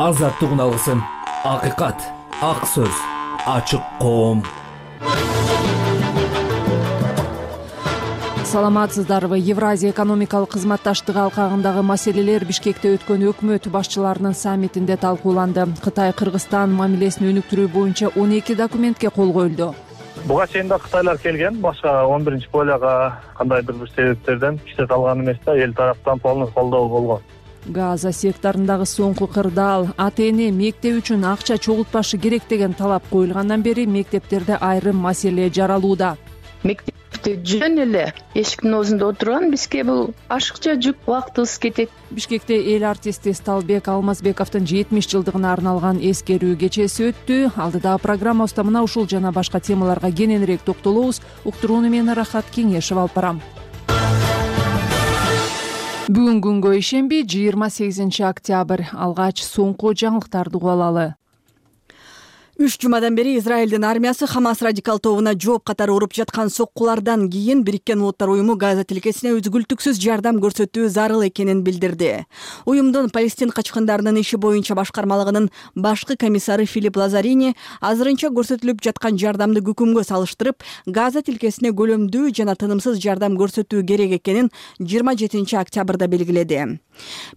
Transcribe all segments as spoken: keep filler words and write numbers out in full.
азаттыгын алгысың. Акыйкат, ак сөз, ачык коом. Саламатсыздарбы? Евразия экономикалык кызматташтыгы алкагындагы маселелер Бишкекте өткөн өкмөт башчыларынын саммитинде талкууланды. Кытай Кыргызстан мамилесин өнүктүрүү боюнча он эки документке кол коюлду. Буга чейин да Кытайлар келген, башка он биринчи поляга кандайдыр бир себептерден иштете алган эмес да, эл тараптан полный колдоо болгон. Газа секторундагы соңку кырдаал, ата эне мектеп үчүн акча чогултпашы керек деген талап коюлгандан бери мектептерде айрым маселе жаралууда. Мектепте жөн эле эшиктин оозунда отурган бизге бул ашыкча жүк, убактыбыз кетет. Бишкекте эл артисти Сталбек Алмазбековдун жетимиш жылдыгына арналган эскерүү кечеси өттү. Алдыдагы программабызда мына ушул жана башка темаларга кененирээк токтолобуз. Уктурууну мен Рахат Кеңешев алып барам. Бүгүн күнгө ишемби, жыйырма сегизинчи октябрь. Алгач соңку жаңылыктарды угуп алалы. Үч жумадан бери Израилдин армиясы Хамас радикал тобуна жооп катары уруп жаткан соккулардан кийин Бириккен Улуттар уюму Газа тилкесине үзгүлтүксүз жардам көрсөтүү зарыл экенин билдирди. Уюмдун Палестин качкындарынын иши боюнча башкармалыгынын башкы комиссары Филипп Лазарини азырынча көрсөтүлүп жаткан жардамды күкүмгө салыштырып, Газа тилкесине көлөмдүү жана тынымсыз жардам көрсөтүү керек экенин жыйырма жетинчи октябрда белгиледи.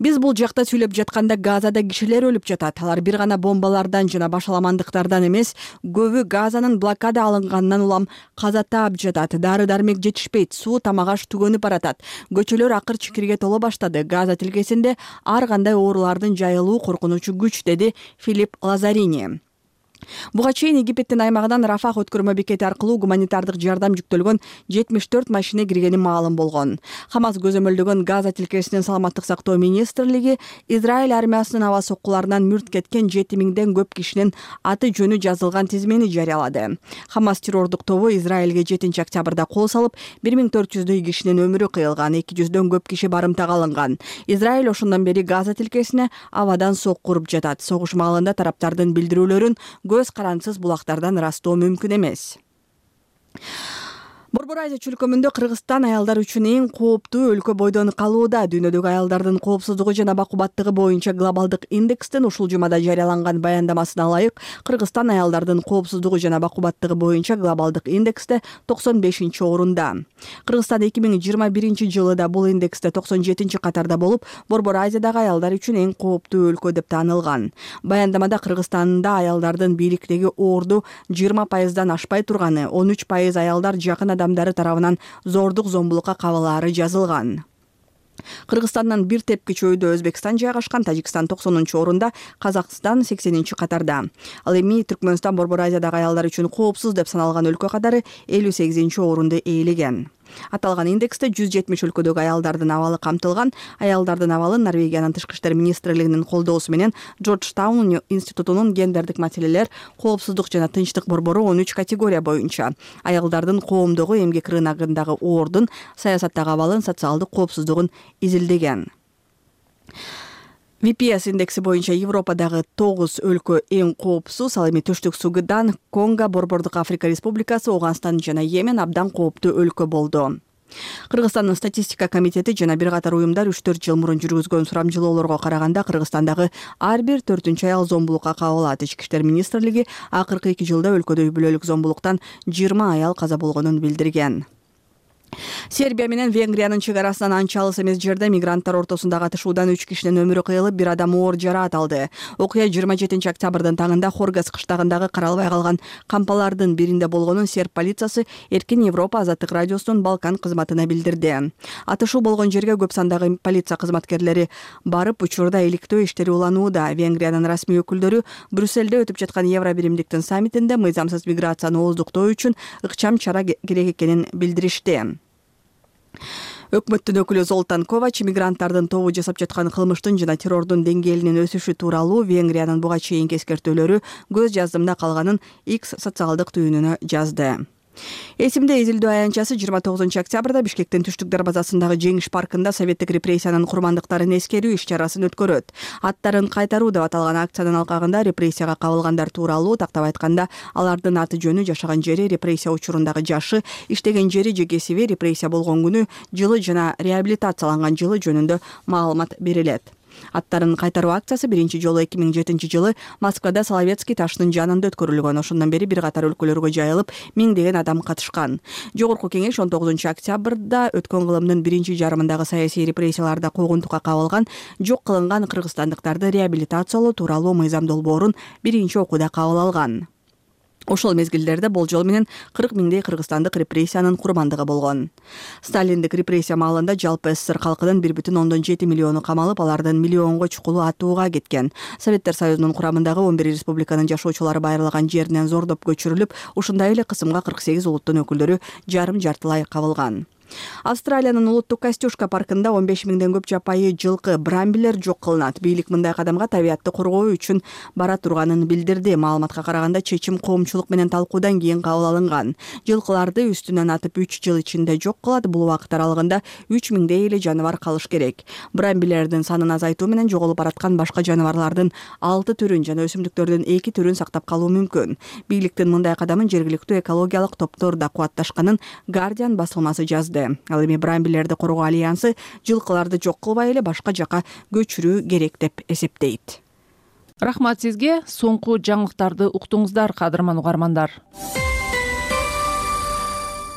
Биз бул жакта сүйлөп жатканда Газада кишилер өлүп жатат. Алар бир гана бомбалардан жана башаламандыктардан эмес, көбү Газанын блокада алынганынан улам каза таап жатат. Дары-дармек жетишпейт, суу тамак-аш түгөнүп баратат. Көчөлөр акыр чикирге толо баштады. Газа тилкесинде ар кандай оорулардын жайылуу коркунучу күч, деди Филипп Лазарини. Буга чейин Египеттин аймагынан Рафах өткөрмө бекети аркылуу гуманитардык жардам жүктөлгөн жетимиш төрт машина киргени маалым болгон. Хамас көзөмөлдөгөн Газа тилкесинин саламаттык сактоо министрлиги Израиль армиясынын аба соккуларынан мүрт кеткен жети миңден көп кишинин аты жөнү жазылган тизмени жарыялады. Хамас террордук тобу Израилге жетинчи октябрда кол салып, бир миң төрт жүздөй кишинин өмүрү кыйылган, эки жүздөн көп киши барымтага алынган. Израиль ошондон бери Газа тилкесине абадан сокку уруп жатат. Согуш маалында тараптардын билдирүүлөрүн көз карансыз булактардан ырастоо мүмкүн эмес. Борбор Азия чөлкөмүндө Кыргызстан аялдар үчүн эң кооптуу өлкө бойдон калууда. Дүйнөдөгү аялдардын коопсуздугу жана бакубаттыгы боюнча глобалдык индекстин ушул жумада жарыяланган баяндамасына ылайык, Кыргызстан аялдардын коопсуздугу жана бакубаттыгы боюнча глобалдык индексте токсон бешинчи орунда. Кыргызстан эки миң жыйырма биринчи жылы да бул индексте токсон жетинчи катарда болуп, Борбор Азиядагы аялдар үчүн эң кооптуу өлкө деп таанылган. Баяндамада Кыргызстанда аялдардын бийликтеги орду жыйырма пайыздан ашпай турганы, он үч пайыз аялдар жакын адамдары тарабынан зордук зомбулукка кабылаары жазылган. Кыргызстандан бир тепки чөйдө Өзбекстан жайгашкан, Тажикстан токсонунчу орунда, Казакстан сексенинчи катарда. Ал эми Түркмөнстан Борбор Азиядагы аялдар үчүн коопсуз деп саналган өлкө катары элүү сегизинчи орунду ээлеген. Аталган индексте жүз жетимиш өлкөдөгү аялдардын абалы камтылган. Аялдардын абалын Норвегиянын тышкы иштер министрлигинин колдоосу менен Джорджтаун институтунун гендердик маселелер, коопсуздук жана тынчтык борбору он үч категория боюнча аялдардын коомдогу эмгек рыногундагы ордун, саясаттагы абалын, социалдык коопсуздугун изилдеген. ви пи эс индекси боюнча Европадагы тогуз өлкө эң коопсуз. Ал эми Түштүк Судан, Конго, Борбордук Африка Республикасы, Ооганстан жана Йемен абдан кооптуу өлкө болду. Кыргызстандын статистика комитети жана бир катар уюмдар үч төрт жыл мурун жүргүзгөн сурамжылоолорго караганда Кыргызстандагы ар бир төртүнчү аял зомбулукка кабылат. Ички иштер министрлиги акыркы эки жылда өлкөдө үй бүлөлүк зомбулуктан жыйырма аял каза болгонун билдирген. Сербия менен Венгриянын чек арасынан анча алыс эмес жерде мигранттар ортосундагы атышуудан үч кишинин өмүрү кыйылып, бир адам оор жараат алды. Окуя жыйырма жетинчи октябрдын таңында Хоргас кыштагындагы каралбай калган кампалардын биринде болгонун серб полициясы Эркин Европа азаттык радиосунун Балкан кызматына билдирди. Атышуу болгон жерге көп сандагы полиция кызматкерлери барып, учурда иликтөө иштери уланууда. Венгриянын расмий өкүлдөрү Брюссельде өтүп жаткан Евро биримдиктин саммитинде мыйзамсыз миграцияны ооздуктоо үчүн ыкчам чара керек экенин билдиришти. Өкмөттүн өкүлү Золтан Ковач мигранттардын тобу жасап жаткан кылмыштын жана террордун деңгээлинин өсүшү тууралуу Венгриянын буга чейинки эскертүүлөрү көз жаздымда калганын X социалдык түйүнүнө жазды. Эсимде изилдөө аянтчасы жыйырма тогузунчу октябрда Бишкектин Түштүк дарбазасындагы Жеңиш паркында советтик репрессиянын курмандыктарын эскерүү иш-чарасын өткөрөт. Аттарын кайтаруу деп аталган акциянын алкагында репрессияга кабылгандар тууралуу, тактап айтканда, алардын аты жөнү, жашаган жери, репрессия учурундагы жашы, иштеген жери же кесиби, репрессия болгон күнү, жылы жана реабилитацияланган жылы жөнүндө маалымат берилет. Аттарын кайтаруу акциясы биринчи жолу эки миң жетинчи жылы Москвада Соловецкий таштын жанында өткөрүлгөн. Ошондон бери бир катар өлкөлөргө жайылып, миңдеген адам катышкан. Жогорку кеңеш он тогузунчу октябрда өткөн кылымдын биринчи жарымындагы саясий репрессияларда куугунтукка кабылган, жок кылынган кыргызстандыктарды реабилитациялоо тууралуу мыйзам долбоорун биринчи окууда кабыл алган. Ошол мезгилдерде болжол менен кырк миңдей кыргызстандык репрессиянын курбандыгы болгон. Сталиндик репрессия маалында жалпы СССР калкынын бир бүтүн ондон жети миллиону камалып, алардын миллионго чукулу атууга кеткен. Советтер Союзунун курамындагы он бир республиканын жашоочулары байырлаган жеринен зордоп көчүрүлүп, ушундай эле кысымга кырк сегиз улуттун өкүлдөрү жарым-жартылай кабылган. Австралиянын улуттук Костюшка паркында он беш миңден көп жапайы жылкы брамбилер жок кылынат. Бийлик мындай кадамга табиятты коргоо үчүн бара турганын билдирди. Маалыматка караганда чечим коомчулук менен талкуудан кийин кабыл алынган. Жылкыларды үстүнөн атып үч жыл ичинде жок кылат. Бул убакыт аралыгында үч миңдей эле жаныбар калыш керек. Брамбилердин санын азайтуу менен жоголуп бараткан башка жаныбарлардын алты түрүн жана өсүмдүктөрдүн эки түрүн сактап калуу мүмкүн. Бийликтин мындай кадамын жергиликтүү экологиялык топтор да кубатташканын Guardian басылмасы жазды. Ал эми брамбилерди коргоо альянсы жылкыларды жок кылбай эле башка жака көчүрүү керек деп эсептейт. Рахмат сизге. Соңку жаңылыктарды уктуңуздар, кадырман угармандар.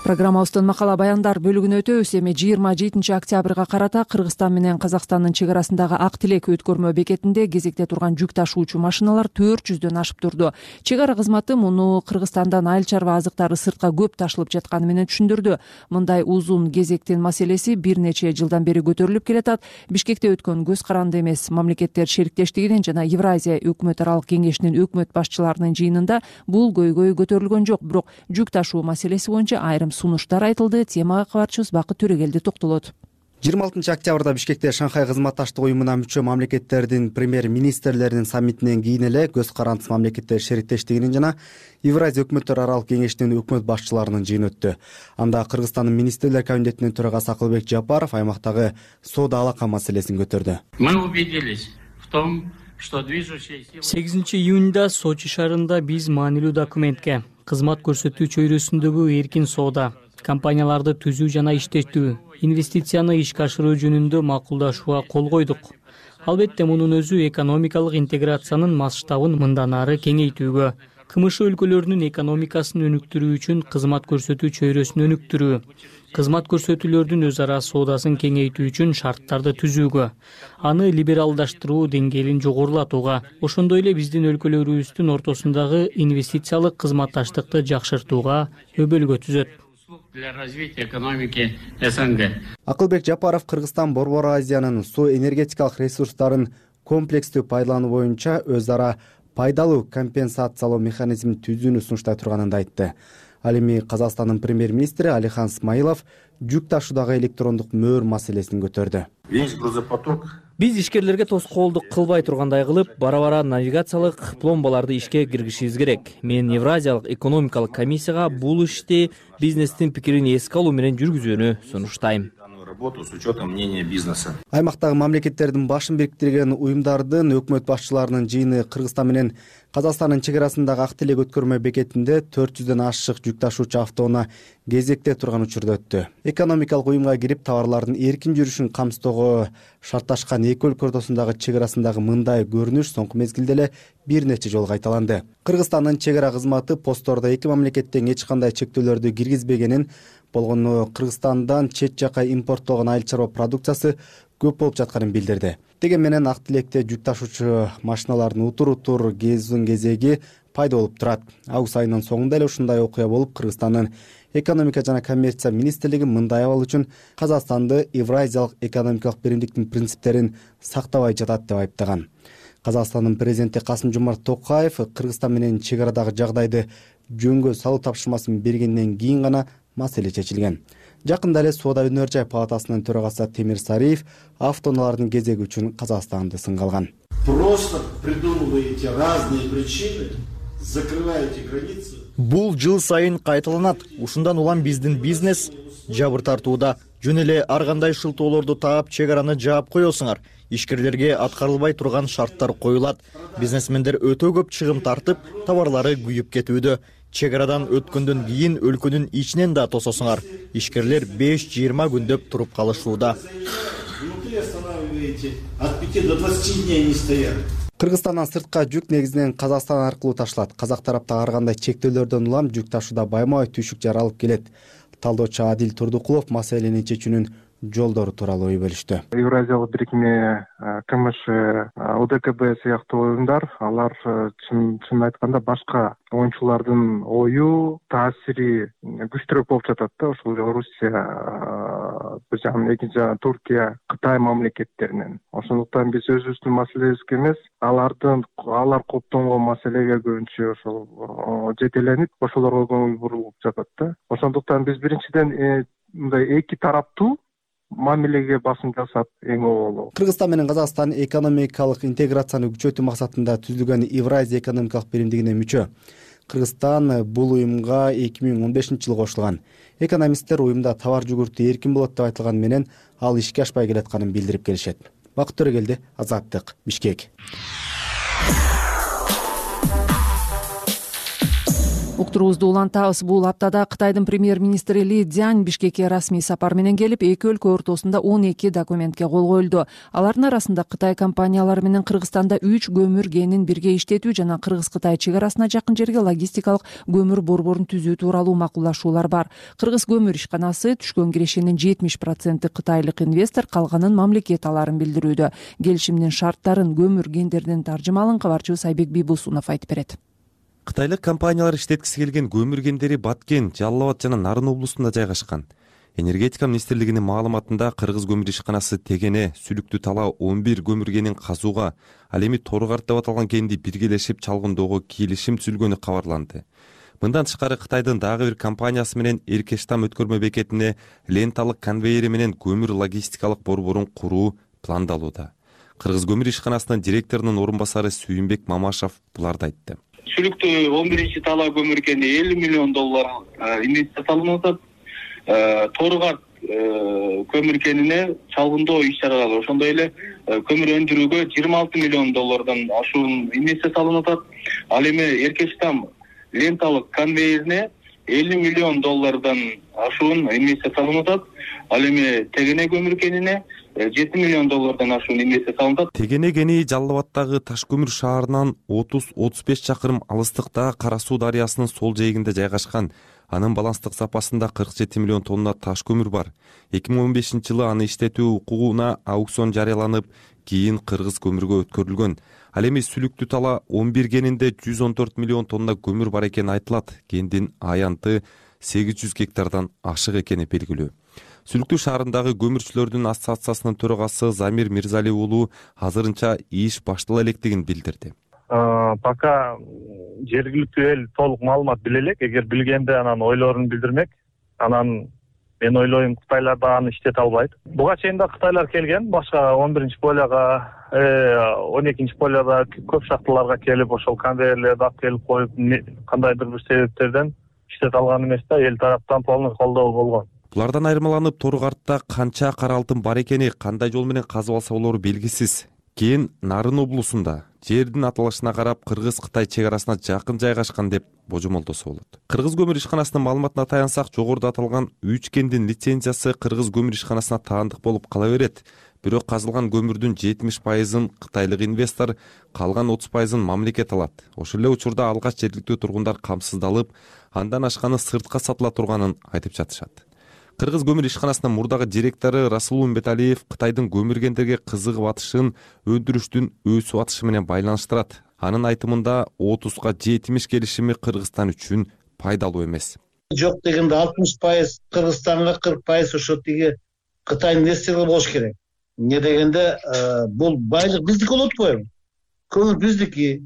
Программабыздын макала баяндар бөлүгүнө өтөбүз. Эми жыйырма жетинчи октябрга карата Кыргызстан менен Казакстандын чек арасындагы Ак Тилек өткөрмө бекетинде кезекте турган жүк ташуучу машиналар төрт жүздөн ашып турду. Чек ара кызматы муну Кыргызстандан айыл чарба азыктары сыртка көп ташылып жатканы менен түшүндүрдү. Мындай узун кезектин маселеси бир нече жылдан бери көтөрүлүп келатат. Бишкекте өткөн көз каранды эмес мамлекеттер шериктештигинин жана Евразия өкмөт аралык кеңешинин өкмөт башчыларынын жыйынында бул көйгөй көтөрүлгөн жок. Бирок жүк ташуу маселеси боюнча айрым сунуштар айтылды. Темага кабарчыбыз Бакыт Төрөгелди токтолот. жыйырма алтынчы октябрда Бишкекте Шанхай кызматташтык уюмуна мүчө мамлекеттердин премьер-министрлеринин саммитинен кийин эле көз карандысыз мамлекеттер шериктештигинин жана Евразия өкмөттөр аралык кеңешинин өкмөт башчыларынын жыйыны өттү. Анда Кыргызстандын министрлер кабинетинин төрагасы Акылбек Жапаров аймактагы соода алака маселесин көтөрдү. Мы убедились в том, что движущая сила сегизинчи июнда Сочи шаарында биз маанилүү документке кызмат көрсөтүү чөйрөсүндөгү эркин соода, компанияларды түзүү жана иштетүү, инвестицияны ишке ашыруу жөнүндө макулдашууга кол койдук. Албетте мунун өзү экономикалык интеграциянын масштабын мындан ары кеңейтүүгө, КМШ өлкөлөрүнүн экономикасын өнүктүрүү үчүн кызмат көрсөтүү чөйрөсүн өнүктүрүү, кызмат көрсөтүүлөрдүн өз ара соодасын кеңейтүү үчүн шарттарды түзүүгө, аны либералдаштыруу деңгээлин жогорулатууга, ошондой эле биздин өлкөлөрүбүздүн ортосундагы инвестициялык кызматташтыкты жакшыртууга өбөлгө түзөт. для развития экономики СНГ. Акылбек Жапаров Кыргызстан Борбор Азиянын суу энергетикалык ресурстарын комплекстүү пайдалануу боюнча өз ара пайдалуу компенсациялоо механизмин түзүүнү сунуштай турганын да айтты. Ал эми Казакстандын премьер-министри Алихан Смаилов жүк ташуудагы электрондук мөөр маселесин көтөрдү. Весь грузопоток Биз ишкерлерге тоскоолдук кылбай тургандай кылып, бара-бара навигациялык пломбаларды ишке киргизишибиз керек. Мен Евразиялык экономикалык комиссияга бул ишти бизнестин пикирин эске алуу менен жүргүзүүнү сунуштайм. работу с учетом мнения бизнеса. Аймактагы мамлекеттердин башын бириктирген уюмдардын өкмөт башчыларынын жыйыны Кыргызстан менен Казакстандын чек арасындагы Ак Тилек өткөрмө бекетинде төрт жүздөн ашык жүк ташуучу автоунаа кезекте турган учурда өттү. Экономикалык уюмга кирип товарлардын эркин жүрүшүн камсыздоого шартташкан эки өлкө ортосундагы чек арасындагы мындай көрүнүш соңку мезгилде эле бир нече жолу кайталанды. Кыргызстандын чек ара кызматы посттордо эки мамлекеттен эч кандай чектөөлөрдү киргизбегенин, болгону Кыргызстандан чет жака импорттолгон айыл чарба продукциясы көп болуп жатканын билдирди. Деген менен Ак Тилекте жүк ташуучу машиналардын утур-утур кезүүнүн кезеги пайда болуп турат. Август айынын соңунда эле ушундай окуя болуп, Кыргызстандын экономика жана коммерция министрлиги мындай абал үчүн Казакстанды Евразиялык экономикалык биримдиктин принциптерин сактабай жатат деп айыптаган. Казакстандын президенти Касым-Жомарт Токаев Кыргызстан менен чек арадагы жагдайды жөнгө салуу тапшырмасын бергенден кийин гана маселе чечилген. Жакында эле Соода өнөр жай палатасынын төрагасы Темир Сариев автоунаалардын кезеги үчүн Казакстанды сынга алган. Просто придумываете разные причины, закрываете границы. Бул жыл сайын кайталанат. Ушундан улам биздин бизнес жабыр тартууда. Жөн эле ар кандай шылтоолорду таап чек араны жаап коесуңар. Ишкерлерге аткарылбай турган шарттар коюлат. Бизнесмендер өтө көп чыгым тартып, товарлары күйүп кетүүдө. Чек арадан өткөндөн кийин өлкөнүн ичинен да тососуңар. Ишкерлер беш жыйырма күндөп туруп калышууда. Внутри останавливаете от пяти до двадцати дней они стоят. Кыргызстандан сыртка жүк негизинен Казакстан аркылуу ташылат. Казак тарапта ар кандай чектөөлөрдөн улам жүк ташууда байма-бай түйшүк жаралып келет. Талдоочу Адил Турдукулов маселени чечүүнүн жолдору тууралуу ой бөлүштү. Евразиялык бирикме, КМШ, ОДКБ сыяктуу уюмдар, алар чын айтканда башка оюнчулардын ою, таасири күчтүүрөөк болуп жатат да, ошол Орусия, бир жагынан экинчи жагынан Туркия, Кытай мамлекеттеринен. Ошондуктан биз өзүбүздүн маселебизге эмес, алардын алар коптонгон маселеге көбүнчө ошол жетеленип, ошолорго көңүл бурулуп жатат да. Ошондуктан биз биринчиден мындай эки тараптуу мамилеге басым жасап эң оолу. Кыргызстан менен Казакстан экономикалык интеграцияны күчөтүү максатында түзүлгөн Евразия экономикалык биримдигине мүчө. Кыргызстан бул уюмга эки миң он бешинчи жылы кошулган. Экономисттер уюмда товар жүгүртүү эркин болот деп айтылган менен ал ишке ашпай келатканын билдирип келишет. Бакыт Төрөгелди, Азаттык, Бишкек. Уктуруубузду улантабыз. Бул аптада Кытайдын премьер-министри Ли Цзянь Бишкекке расмий сапар менен келип, эки өлкө ортосунда он эки документке кол коюлду. Алардын арасында Кытай компаниялары менен Кыргызстанда үч көмүр кенин бирге иштетүү жана Кыргыз-Кытай чек арасына жакын жерге логистикалык көмүр борборун түзүү тууралуу макулдашуулар бар. Кыргыз көмүр ишканасы түшкөн кирешенин жетимиш проценти кытайлык инвестор, калганын мамлекет аларын билдирүүдө. Келишимдин шарттарын көмүр кендердин таржымалын кабарчыбыз Айбек Бийбусунов айтып берет. Кытайлык компаниялар иштеткиси келген көмүр кендери Баткен, Жалал Абад жана Нарын облустунда жайгашкан. Энергетика министрлигинин маалыматында Кыргыз көмүр ишканасы Тегене, Сүлүктүү Тала он бир көмүр кенин казууга, ал эми Торгарт деп аталган кенди биргелешип чалгындоого келишим түзүлгөнү кабарланды. Мындан тышкары Кытайдын дагы бир компаниясы менен Эркештам өткөрмө бекетине ленталык конвейери менен көмүр логистикалык борборун куруу пландалууда. Кыргыз көмүр ишканасынын директорунун орун басары Сүйүнбек Мамашев буларды айтты. Сүлүктүү он биринчи Тала көмүр кенди элүү миллион доллар инвестиция салынып атат. Торгарт көмүр кенине чалгындоо иш-чаралары, ошондой эле көмүр өндүрүүгө жыйырма алты миллион доллардан ашуун инвестиция салынып атат. Ал эми Эркештам ленталык конвейерине элүү миллион доллардан ашуун инвестиция салынып атат. Ал эми Тегене көмүр кенине жети миллион доллардан ашуун инвестиция салынат. Тегене кени Жалал Абадтагы Ташкөмүр шаарынан отуз отуз беш чакырым алыстыкта Кара Суу дарыясынын сол жээгинде жайгашкан. Анын баланстык запасында кырк жети миллион тонна таш көмүр бар. эки миң он бешинчи жылы аны иштетүү укугуна аукцион жарыяланып, кийин Кыргыз көмүргө өткөрүлгөн. Ал эми Сүлүктүү Тала он бир кенинде жүз он төрт миллион тонна көмүр бар экени айтылат. Кендин аянты сегиз жүз гектардан ашык экени белгилүү. Сүлүктүү шаарындагы көмүрчүлөрдүн ассоциациясынын төрагасы Замир Мирзали уулу азырынча иш баштала электигин билдирди. Пока жергиликтүү эл толук маалымат биле элек, эгер билгенде анан ойлорун билдирмек. Анан мен ойлойм Кытайлар да аны иштете албайт. Буга чейин да Кытайлар келген, башка он биринчи полияга, он экинчи полияда көп шахталарга келип, ошол конвейерлерди алып келип коюп, кандайдыр бир себептерден иштете алган эмес да, эл тараптан полный колдоо болгон. Булардан айырмаланып, Торгартта канча кара алтын бар экени, кандай жол менен казып алса болору белгисиз. Кийин Нарын облусунда жердин аталышына карап Кыргыз-Кытай чек арасына жакын жайгашкан деп божомолдосо болот. Кыргыз көмүр ишканасынын маалыматына таянсак, жогоруда аталган үч кендин лицензиясы Кыргыз көмүр ишканасына таандык болуп кала берет. Бирок казылган көмүрдүн жетимиш пайызын кытайлык инвестор, калган отуз пайызын мамлекет алат. Ошол эле учурда алгач жергиликтүү тургундар камсыздалып, андан ашканы сыртка сатыла турганын айтып жатышат. Кыргыз көмүр ишканасынын мурдагы директору Расул Умбеталиев Кытайдын көмүр кендерге кызыгып атышын өндүрүштүн өсүп атышы менен байланыштырат. Анын айтымында отузга жетимиш келишими Кыргызстан үчүн пайдалуу эмес. Жок дегенде алтымыш пайыз Кыргызстанга, кырк пайыз ошо тиги Кытай инвесторлор болуш керек. Эмне дегенде бул байлык биздики болот го. Көмүр биздики,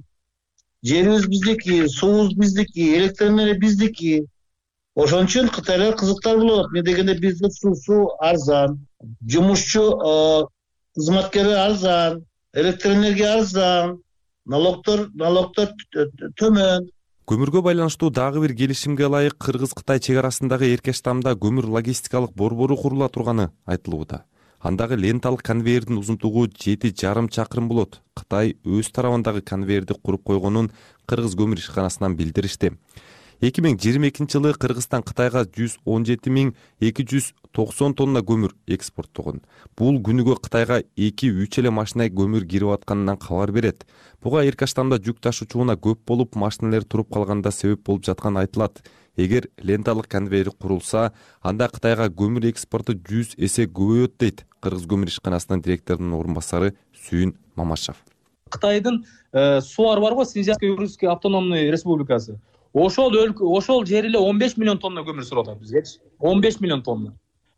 жерибиз биздики, суубуз биздики, электр энергия биздики. Ошон үчүн Кытайлар кызыктар болот. Эмне дегенде бизде суусу арзан, жумушчу кызматкери арзан, электр энергия арзан, налогтор налогтор төмөн. Көмүргө байланыштуу дагы бир келишимге ылайык Кыргыз-Кытай чек арасындагы Эркештамда көмүр логистикалык борбору курула турганы айтылууда. Андагы ленталык конвейердин узунтугу жети жарым чакырым болот. Кытай өз тарабындагы конвейерди куруп койгонун Кыргыз көмүр ишканасынан билдиришти. эки миң жыйырма экинчи жылы Кыргызстан Кытайга жүз он жети миң эки жүз токсон тонна көмүр экспорттогон. Бул күнүгө Кытайга эки үч эле машина көмүр кирип атканынан кабар берет. Буга Эркаштамда жүк ташуучуна көп болуп, машиналер туруп калганда себеп болуп жатканы айтылат. Эгер ленталык конвейер курулса, анда Кытайга көмүр экспорту жүз эсе көбөйөт дейт Кыргыз көмүр ишканасынын директорунун орун басары Сүйүн Мамашев. Кытайдын сууар барго, Синьцзянский Уральский автономный республикасы. Ошол өлкө, ошол жер эле он беш миллион тонна көмүр сурап атат бизгечи. он беш миллион тонна.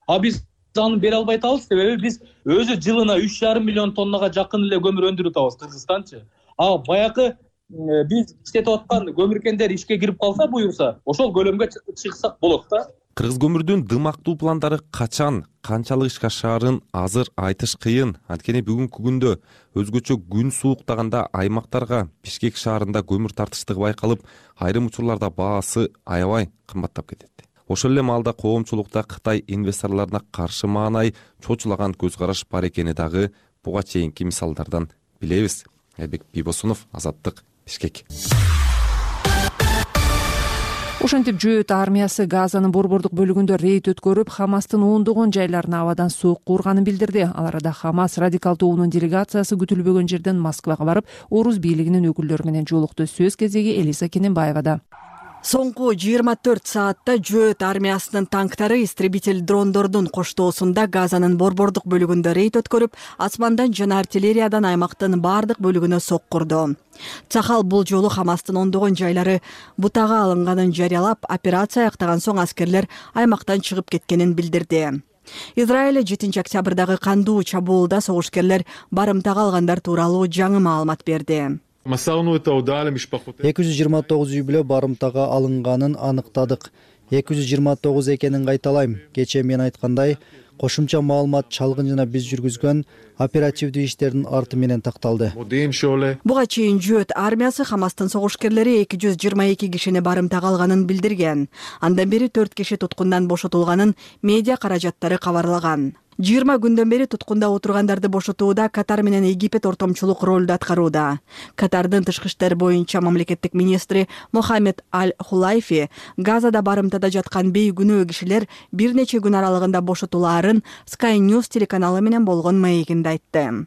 А биз аны бере албай атабыз, себеби биз өзү жылына үч жарым миллион тоннага жакын эле көмүр өндүрүп атабыз Кыргызстанчы. А баягы биз иштетип аткан көмүркендер ишке кирип калса, буюрса, ошол көлөмгө чыксак болот да. Кыргыз көмүрдүн дымактуу пландары качан, канчалык ишке ашаарын азыр айтыш кыйын. Анткени бүгүнкү күндө өзгөчө күн сууктаганда аймактарга Бишкек шаарында көмүр тартыштыгы байкалып, айрым учурларда баасы аябай кымбаттап кетет. Ошол эле маалда коомчулукта Кытай инвесторлоруна каршы маанай чочулаган көз караш бар экени дагы буга чейинки мисалдардан билебиз. Айбек Бибосунов, Азаттык, Бишкек. Ошентип Жөөт армиясы Газанын борбордук бөлүгүндө рейд өткөрүп, Хамастын ондогон жайларына абадан соокку урганын билдирди. Ал арада Хамас радикал тобунун делегациясы күтүлбөгөн жерден Москвага барып, Орус бийлигинин өкүлдөрү менен жолукту. Сөз кезеги Элиза Кененбаевада. Соңку жыйырма төрт саатта Жөөт армиясынын танктары истребитель дрондордун коштоосунда Газанын борбордук бөлүгүндө рейд өткөрүп, асмандан жана артиллериядан аймактын бардык бөлүгүнө соккурду. Цахал бул жолу Хамастын ондогон жайлары бутага алынганын жарыялап, операция аяктаган соң аскерлер аймактан чыгып кеткенин билдирди. Израиль жетинчи октябрдагы кандуу чабуулда согушкерлер барымтага алгандар тууралуу жаңы маалымат берди. эки жүз жыйырма тогуз үй бүлө барымтага алынганын аныктадык. эки жүз жыйырма тогуз экенин кайталайм. Кечээ мен айткандай, кошумча маалымат чалгын жана биз жүргүзгөн оперативдүү иштердин арты менен такталды. Буга чейин Жөөт армиясы Хамастын согушкерлери эки жүз жыйырма эки кишини барымтага алганын билдирген. Андан бери төрт киши туткундан бошотулганын медиа каражаттары кабарлаган. жыйырма күндөн бери туткунда отургандарды бошотууда Катар менен Египет ортомчулук ролду аткарууда. Катардын тышкы иштер боюнча мамлекеттик министри Мохаммед Аль-Хулайфи Газада барымтада жаткан бейгүнөө кишилер бир нече күн аралыгында бошотулаарын Sky News телеканалы менен болгон маегинде айтты.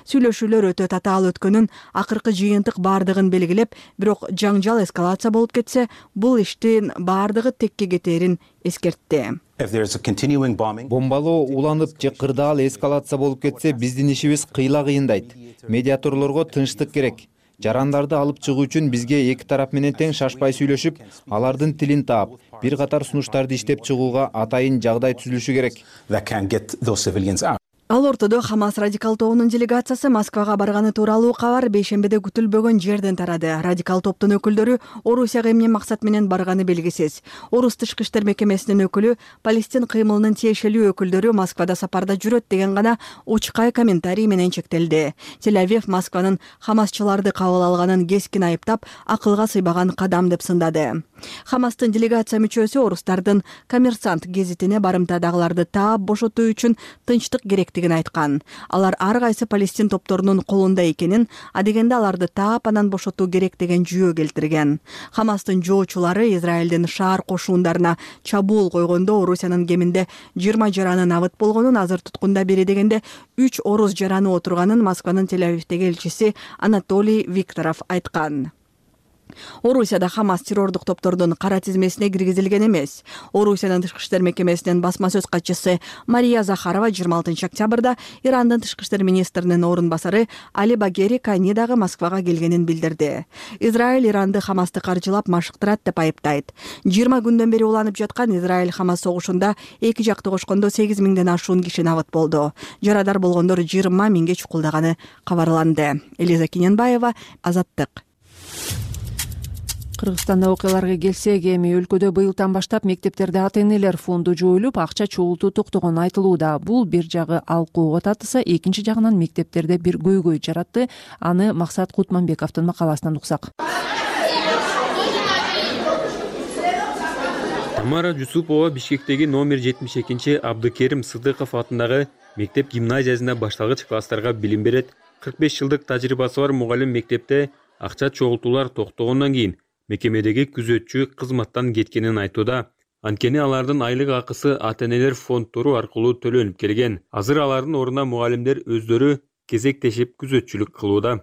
Сүйлөшүүлөр өтө татаал өткөнүн, акыркы жыйынтык бардыгын белгилеп, бирок жаңжал эскалация болуп кетсе, бул иштин бардыгы текке кетерин эскертти. Бомбалоо уланып же кырдаал эскалация болуп кетсе, биздин ишибиз кыйла кыйындайт. Медиаторлорго тынчтык керек. Жарандарды алып чыгуу үчүн бизге эки тарап менен тең шашпай сүйлөшүп, алардын тилин таап, бир катар сунуштарды иштеп чыгууга атайын жагдай түзүлүшү керек. Ал ортодо Хамас радикал тобунун делегациясы Москвага барганы тууралуу кабар бейшембиде күтүлбөгөн жерден тарады. Радикал топтун өкүлдөрү Орусияга эмне максат менен барганы белгисиз. Орус тышкы иштер мекемесинин өкүлү Палестин кыймылынын тиешелүү өкүлдөрү Москвада сапарда жүрөт деген гана учкай комментарий менен чектелди. Тель-Авив Москванын Хамасчыларды кабыл алганын кескин айыптап, акылга сыйбаган кадам деп сындады. Хамастын делегация мүчөсү орустардын Коммерсант гезитине барымтадагыларды таап бошотуу үчүн тынчтык керектигин айткан. Алар ар кайсы Палестин топторунун колунда экенин, адегенде аларды таап анан бошотуу керек деген жүйө келтирген. Хамастын жоочулары Израилдин шаар кошуундарына чабуул койгондо Орусиянын кеминде жыйырма жараны набыт болгонун, азыр туткунда бери дегенде үч орус жараны отурганын Москванын Тель-Авивдеги элчиси Анатолий Викторов айткан. Орусияда Хамас террордук топтордун кара тизмесине киргизилген эмес. Орусиянын тышкы иштер мекемесинин басма сөз катчысы Мария Захарова жыйырма алтынчы октябрда Ирандын тышкы иштер министринин орун басары Али Багери Канидагы Москвага келгенин билдирди. Израиль Иранды Хамасты каржылап машыктырат деп айыптайт. жыйырма күндөн бери уланып жаткан Израиль Хамас согушунда эки жакты кошкондо сегиз миңден ашуун киши набыт болду. Жарадар болгондор жыйырма миңге чукулдаганы кабарланды. Элиза Кененбаева, Азаттык. Кыргызстанда окуяларга келсек, эми өлкөдө быйылдан баштап мектептерде ата-энелер фонду жоюлуп, акча чогултуу токтогону айтылууда. Бул бир жагы алкууга татыса, экинчи жагынан мектептерде бир көйгөй жаратты. Аны Максат Кутманбековдун макаласынан уксак. Тамара Жусупова Бишкектеги номер жетимиш экинчи Абдыкерим Сыдыков атындагы мектеп гимназиясында башталгыч класстарга билим берет. кырк беш жылдык тажрыйбасы бар мугалим мектепте акча чогултуулар токтогондон кийин мекемедеги күзөтчү кызматтан кеткенин айтууда. Анткени алардын айлык акысы ата-энелер фонддору аркылуу төлөнүп келген. Азыр алардын ордуна мугалимдер өздөрү кезектешип күзөтчүлүк кылууда.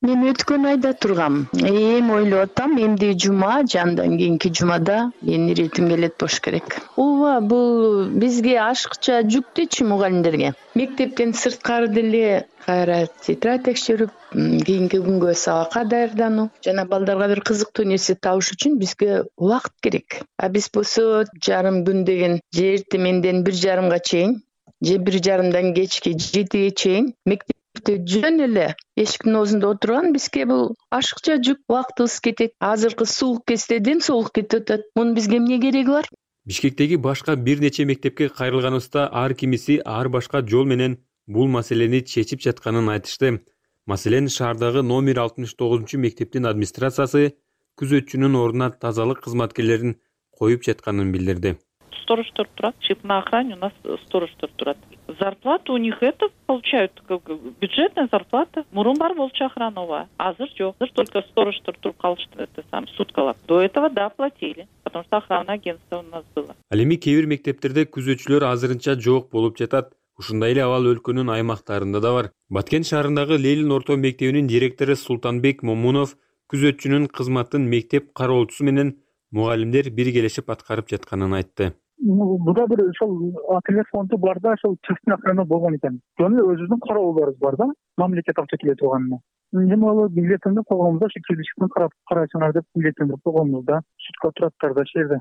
Мен өткөн айда тургам. Эми ойлоп атам, эмди жума, жандан кийинки жумада менин иретим келет болуш керек. Ооба, бул бизге ашыкча жүктүчү мугалимдерге. Мектептен сырткары деле кайра тетрадь текшерип, кийинки күнгө сабакка даярдануу жана балдарга бир кызыктуу нерсе табыш үчүн бизге убакыт керек. А биз болсо жарым күн деген же эртеменден бир жарымга чейин, же бир жарымдан кечки жетиге чейин мектеп жөн эле эшиктин оозунда отурган бизге бул ашыкча жүк, убактыбыз кетет. Азыркы суук кезде ден соолук кетип атат. Мунун бизге эмне кереги бар? Бишкектеги башка бир нече мектепке кайрылганыбызда ар кимиси ар башка жол менен бул маселени чечип жатканын айтышты. Маселен, шаардагы номер алтымыш тогузунчу мектептин администрациясы күзөтчүнүн ордуна тазалык кызматкерлерин коюп жатканын билдирди. Сторожтор турат, чип на охране у нас сторожтор турат. Зарплата у них это получают, как бюджетная зарплата. Мурун бар болчу охранова, азыр жок. Азыр только сторожтор туруп калышты, это сам суткалап. До этого да платили, потому что охранное агентство у нас было. Ал эми кээ бир мектептерде күзөтчүлөр азырынча жок болуп жатат. Ушундай эле абал өлкөнүн аймактарында да бар. Баткен шаарындагы Ленин орто мектебинин директору Султанбек Момунов күзөтчүнүн кызматын мектеп кароолчусу менен мугалимдер биргелешип аткарып жатканын айтты. Буда бир ошол ателье фонду бар да, ошол частный охрана болгон экен. Жөн эле өзүбүздүн кароолубарыбыз бар да, мамлекет акча келе турганына. Эми ал билетиндип койгонбуз да, кирбичтин карап карайсыңар деп билетиндип койгонбуз да. Сутка тураттар да жерде.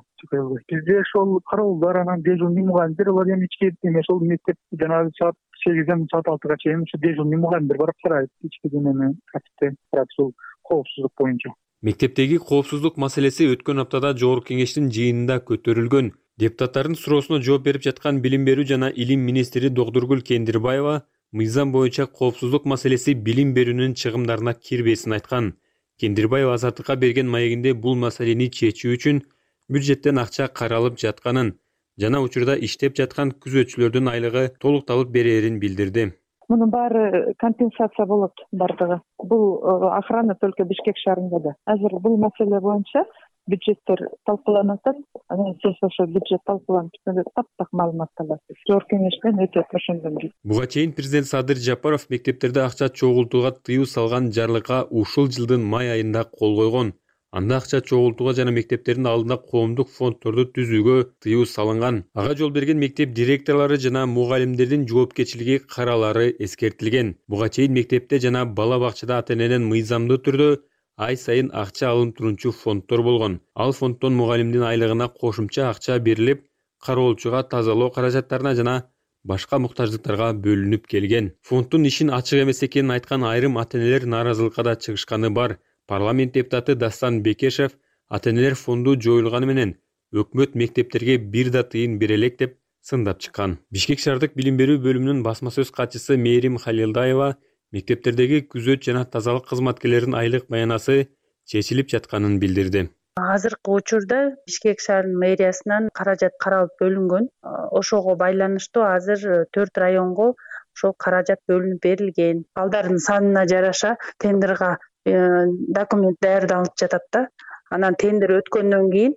Бизде ошол кароолдар, анан дежурный мугалимдер бар, эми ички эме ошол мектеп жанагы саат сегизден саат алтыга чейин ушу дежурный мугалимдер барып карайт, ички эмени тартипте карап, ушул коопсуздук боюнча. Мектептеги коопсуздук маселеси өткөн аптада Жогорку кеңештин жыйынында көтөрүлгөн. Депутаттардын суроосуна жооп берип жаткан билим берүү жана илим министри Докторгүл Кендирбаева мыйзам боюнча коопсуздук маселеси билим берүүнүн чыгымдарына кирбесин айткан. Кендирбаева Азаттыкка берген маегинде бул маселени чечүү үчүн бюджеттен акча каралып жатканын жана учурда иштеп жаткан күзөтчүлөрдүн айлыгы толукталып берерин билдирди. Мунун баары компенсация болот бардыгы. Бул охрана только Бишкек шаарында да. Азыр бул маселе боюнча бюджеттер талкууланып атат. Анан сиз ошо бюджет талкууланып түшкөндө таптак маалымат аласыз. Жогорку кеңештен өтө ошондон бери. Буга чейин президент Садыр Жапаров мектептерде акча чогултууга тыюу салган жарлыкка ушул жылдын май айында кол койгон. Анда акча чогултууга жана мектептердин алдында коомдук фонддорду түзүүгө тыюу салынган. Ага жол берген мектеп директорлору жана мугалимдердин жоопкерчилиги каралары эскертилген. Буга чейин мектепте жана бала бакчада ата-энеден мыйзамдуу түрдө ай сайын акча алынып турчу фонддор болгон. Ал фонддон мугалимдин айлыгына кошумча акча берилип, кароолчуга тазалоо каражаттарына жана башка муктаждыктарга бөлүнүп келген. Фонддун ишин ачык эмес экенин айткан айрым ата-энелер нааразылыкка да чыгышканы бар. Парламент депутаты Дастан Бекешев ата-энелер фонду жоюлганы менен өкмөт мектептерге бир да тыйын бере элек деп сындап чыккан. Бишкек шаардык билим берүү бөлүмүнүн басма сөз катчысы Мээрим Халилдаева мектептердеги күзөт жана тазалык кызматкерлеринин айлык маянасы чечилип жатканын билдирди. Азыркы учурда Бишкек шаарынын мэриясынан каражат каралып бөлүнгөн. Ошого байланыштуу азыр төрт районго ошол каражат бөлүнүп берилген. Балдардын санына жараша тендерга документ даярдалып жатат да. Анан тендер өткөндөн кийин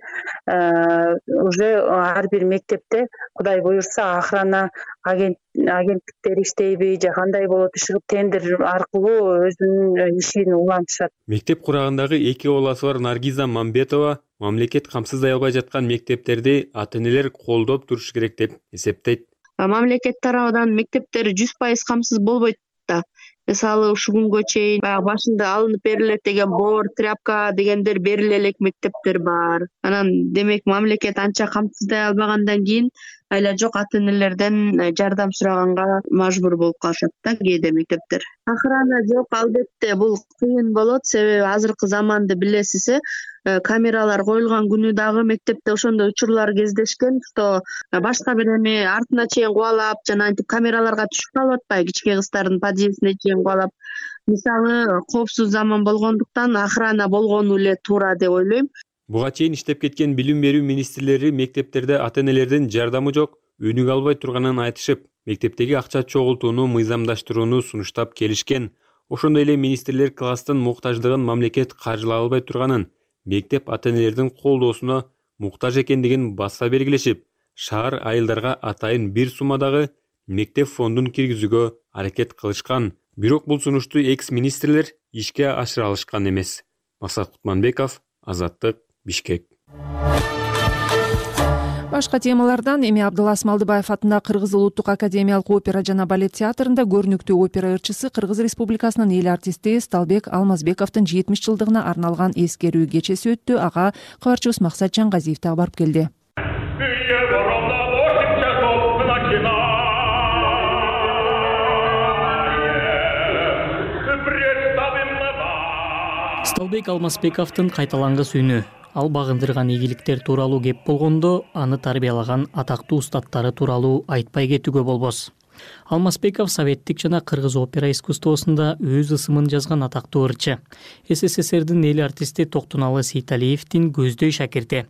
уже ар бир мектепте Кудай буюрса охрана агенттиктери иштейби же кандай болот, ушул тендер аркылуу өзүнүн ишин улантышат. Мектеп курагындагы эки баласы бар Наргиза Мамбетова мамлекет камсыздай албай жаткан мектептерди ата-энелер колдоп туруш керек деп эсептейт. Мамлекет тарабынан мектептер жүз пайыз камсыз болбойт да. Мисалы ушул күнгө чейин баягы башында алынып берилет деген боор, тряпка дегендер бериле элек мектептер бар. Анан демек мамлекет анча камсыздай албагандан кийин айла жок ата-энелерден жардам сураганга мажбур болуп калышат да кээде мектептер. Охрана жок, албетте бул кыйын болот, себеби азыркы заманды билесиз, камералар коюлган күнү дагы мектепте ошондой учурлар кездешкен, что башка бир эме артына чейин кубалап жана антип камераларга түшүп калып атпайбы, кичке кыздардын подъездине чейин кубалап. Мисалы коопсуз заман болгондуктан охрана болгону эле туура деп ойлойм. Буга чейин иштеп кеткен билим берүү министрлери мектептерде ата-энелердин жардамы жок, өнүгө албай турганын айтышып, мектептеги акча чогултууну мыйзамдаштырууну сунуштап келишкен. Ошондой эле министрлер класстын муктаждыгын мамлекет каржылай албай турганын, мектеп ата-энелердин колдоосуна муктаж экендигин баса белгилешип, шаар айылдарга атайын бир суммадагы мектеп фондун киргизүүгө аракет кылышкан. Бирок бул сунушту экс-министрлер ишке ашыра алышкан эмес. Максат Кутманбеков, Азаттык, Бишкек. Башка темалардан эми Абдылас Малдыбаев атындагы Кыргыз улуттук академиялык опера жана балет театрында көрүнүктүү опера ырчысы Кыргыз Республикасынын эл артисти Сталбек Алмазбековдун жетимиш жылдыгына арналган эскерүү кечеси өттү. Ага кабарчыбыз Максат Жангазиев дагы барып келди. Сталбек Алмазбековдун кайталангыс үнү. Ал багындырган ийгиликтер тууралуу кеп болгондо, аны тарбиялаган атактуу устаттары тууралуу айтпай кетүүгө болбос. Алмазбеков советтик жана кыргыз опера искусствосунда өз ысымын жазган атактуу ырчы. СССРдин эл артисти Токтоналы Сейталиевдин көздөй шакирти.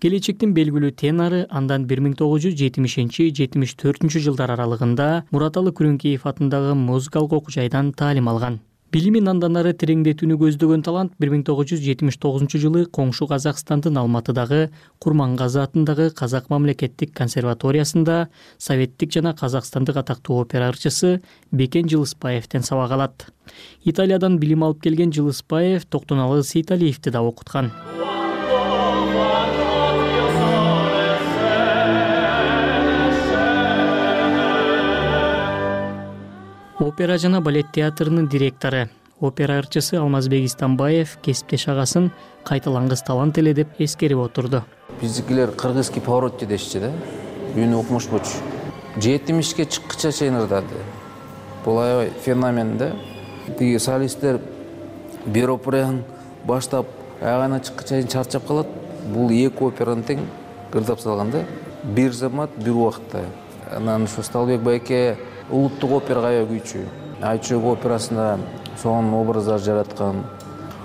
Келечектин белгилүү тенору андан бир миң тогуз жүз жетимишинчи — жетимиш төртүнчү жылдар аралыгында Мураталы Күрөңкеев атындагы музыкалык окуу жайдан таалим алган. Билимин андан ары тереңдетүүнү көздөгөн талант бир миң тогуз жүз жетимиш тогузунчу жылы коңшу Казакстандын Алматыдагы Курмангазы атындагы Казак мамлекеттик консерваториясында советтик жана казакстандык атактуу опера ырчысы Бекен Жылыспаевден сабак алат. Италиядан билим алып келген Жылыспаев Токтоналы Сейталиевди да окуткан. Опера жана балет театрынын директору, опера ырчысы Алмазбек Истамбаев кесиптеш агасын кайталангыс талант эле деп эскерип отурду. Биздикилер кыргызский поворот дешчи да, үнү укмушпучу. жетимишке чыккыча чейин ырдады. Бул аябай феномен да. Тиги солисттер бир операны баштап аягына чыккыча чейин чарчап калат. Бул эки операны тең ырдап салган да. Бир замат, бир убакытта. Анан ушу Сталбек байке улуттук операга аябай күйчү. Айчөк операсында сонун образдар жараткан.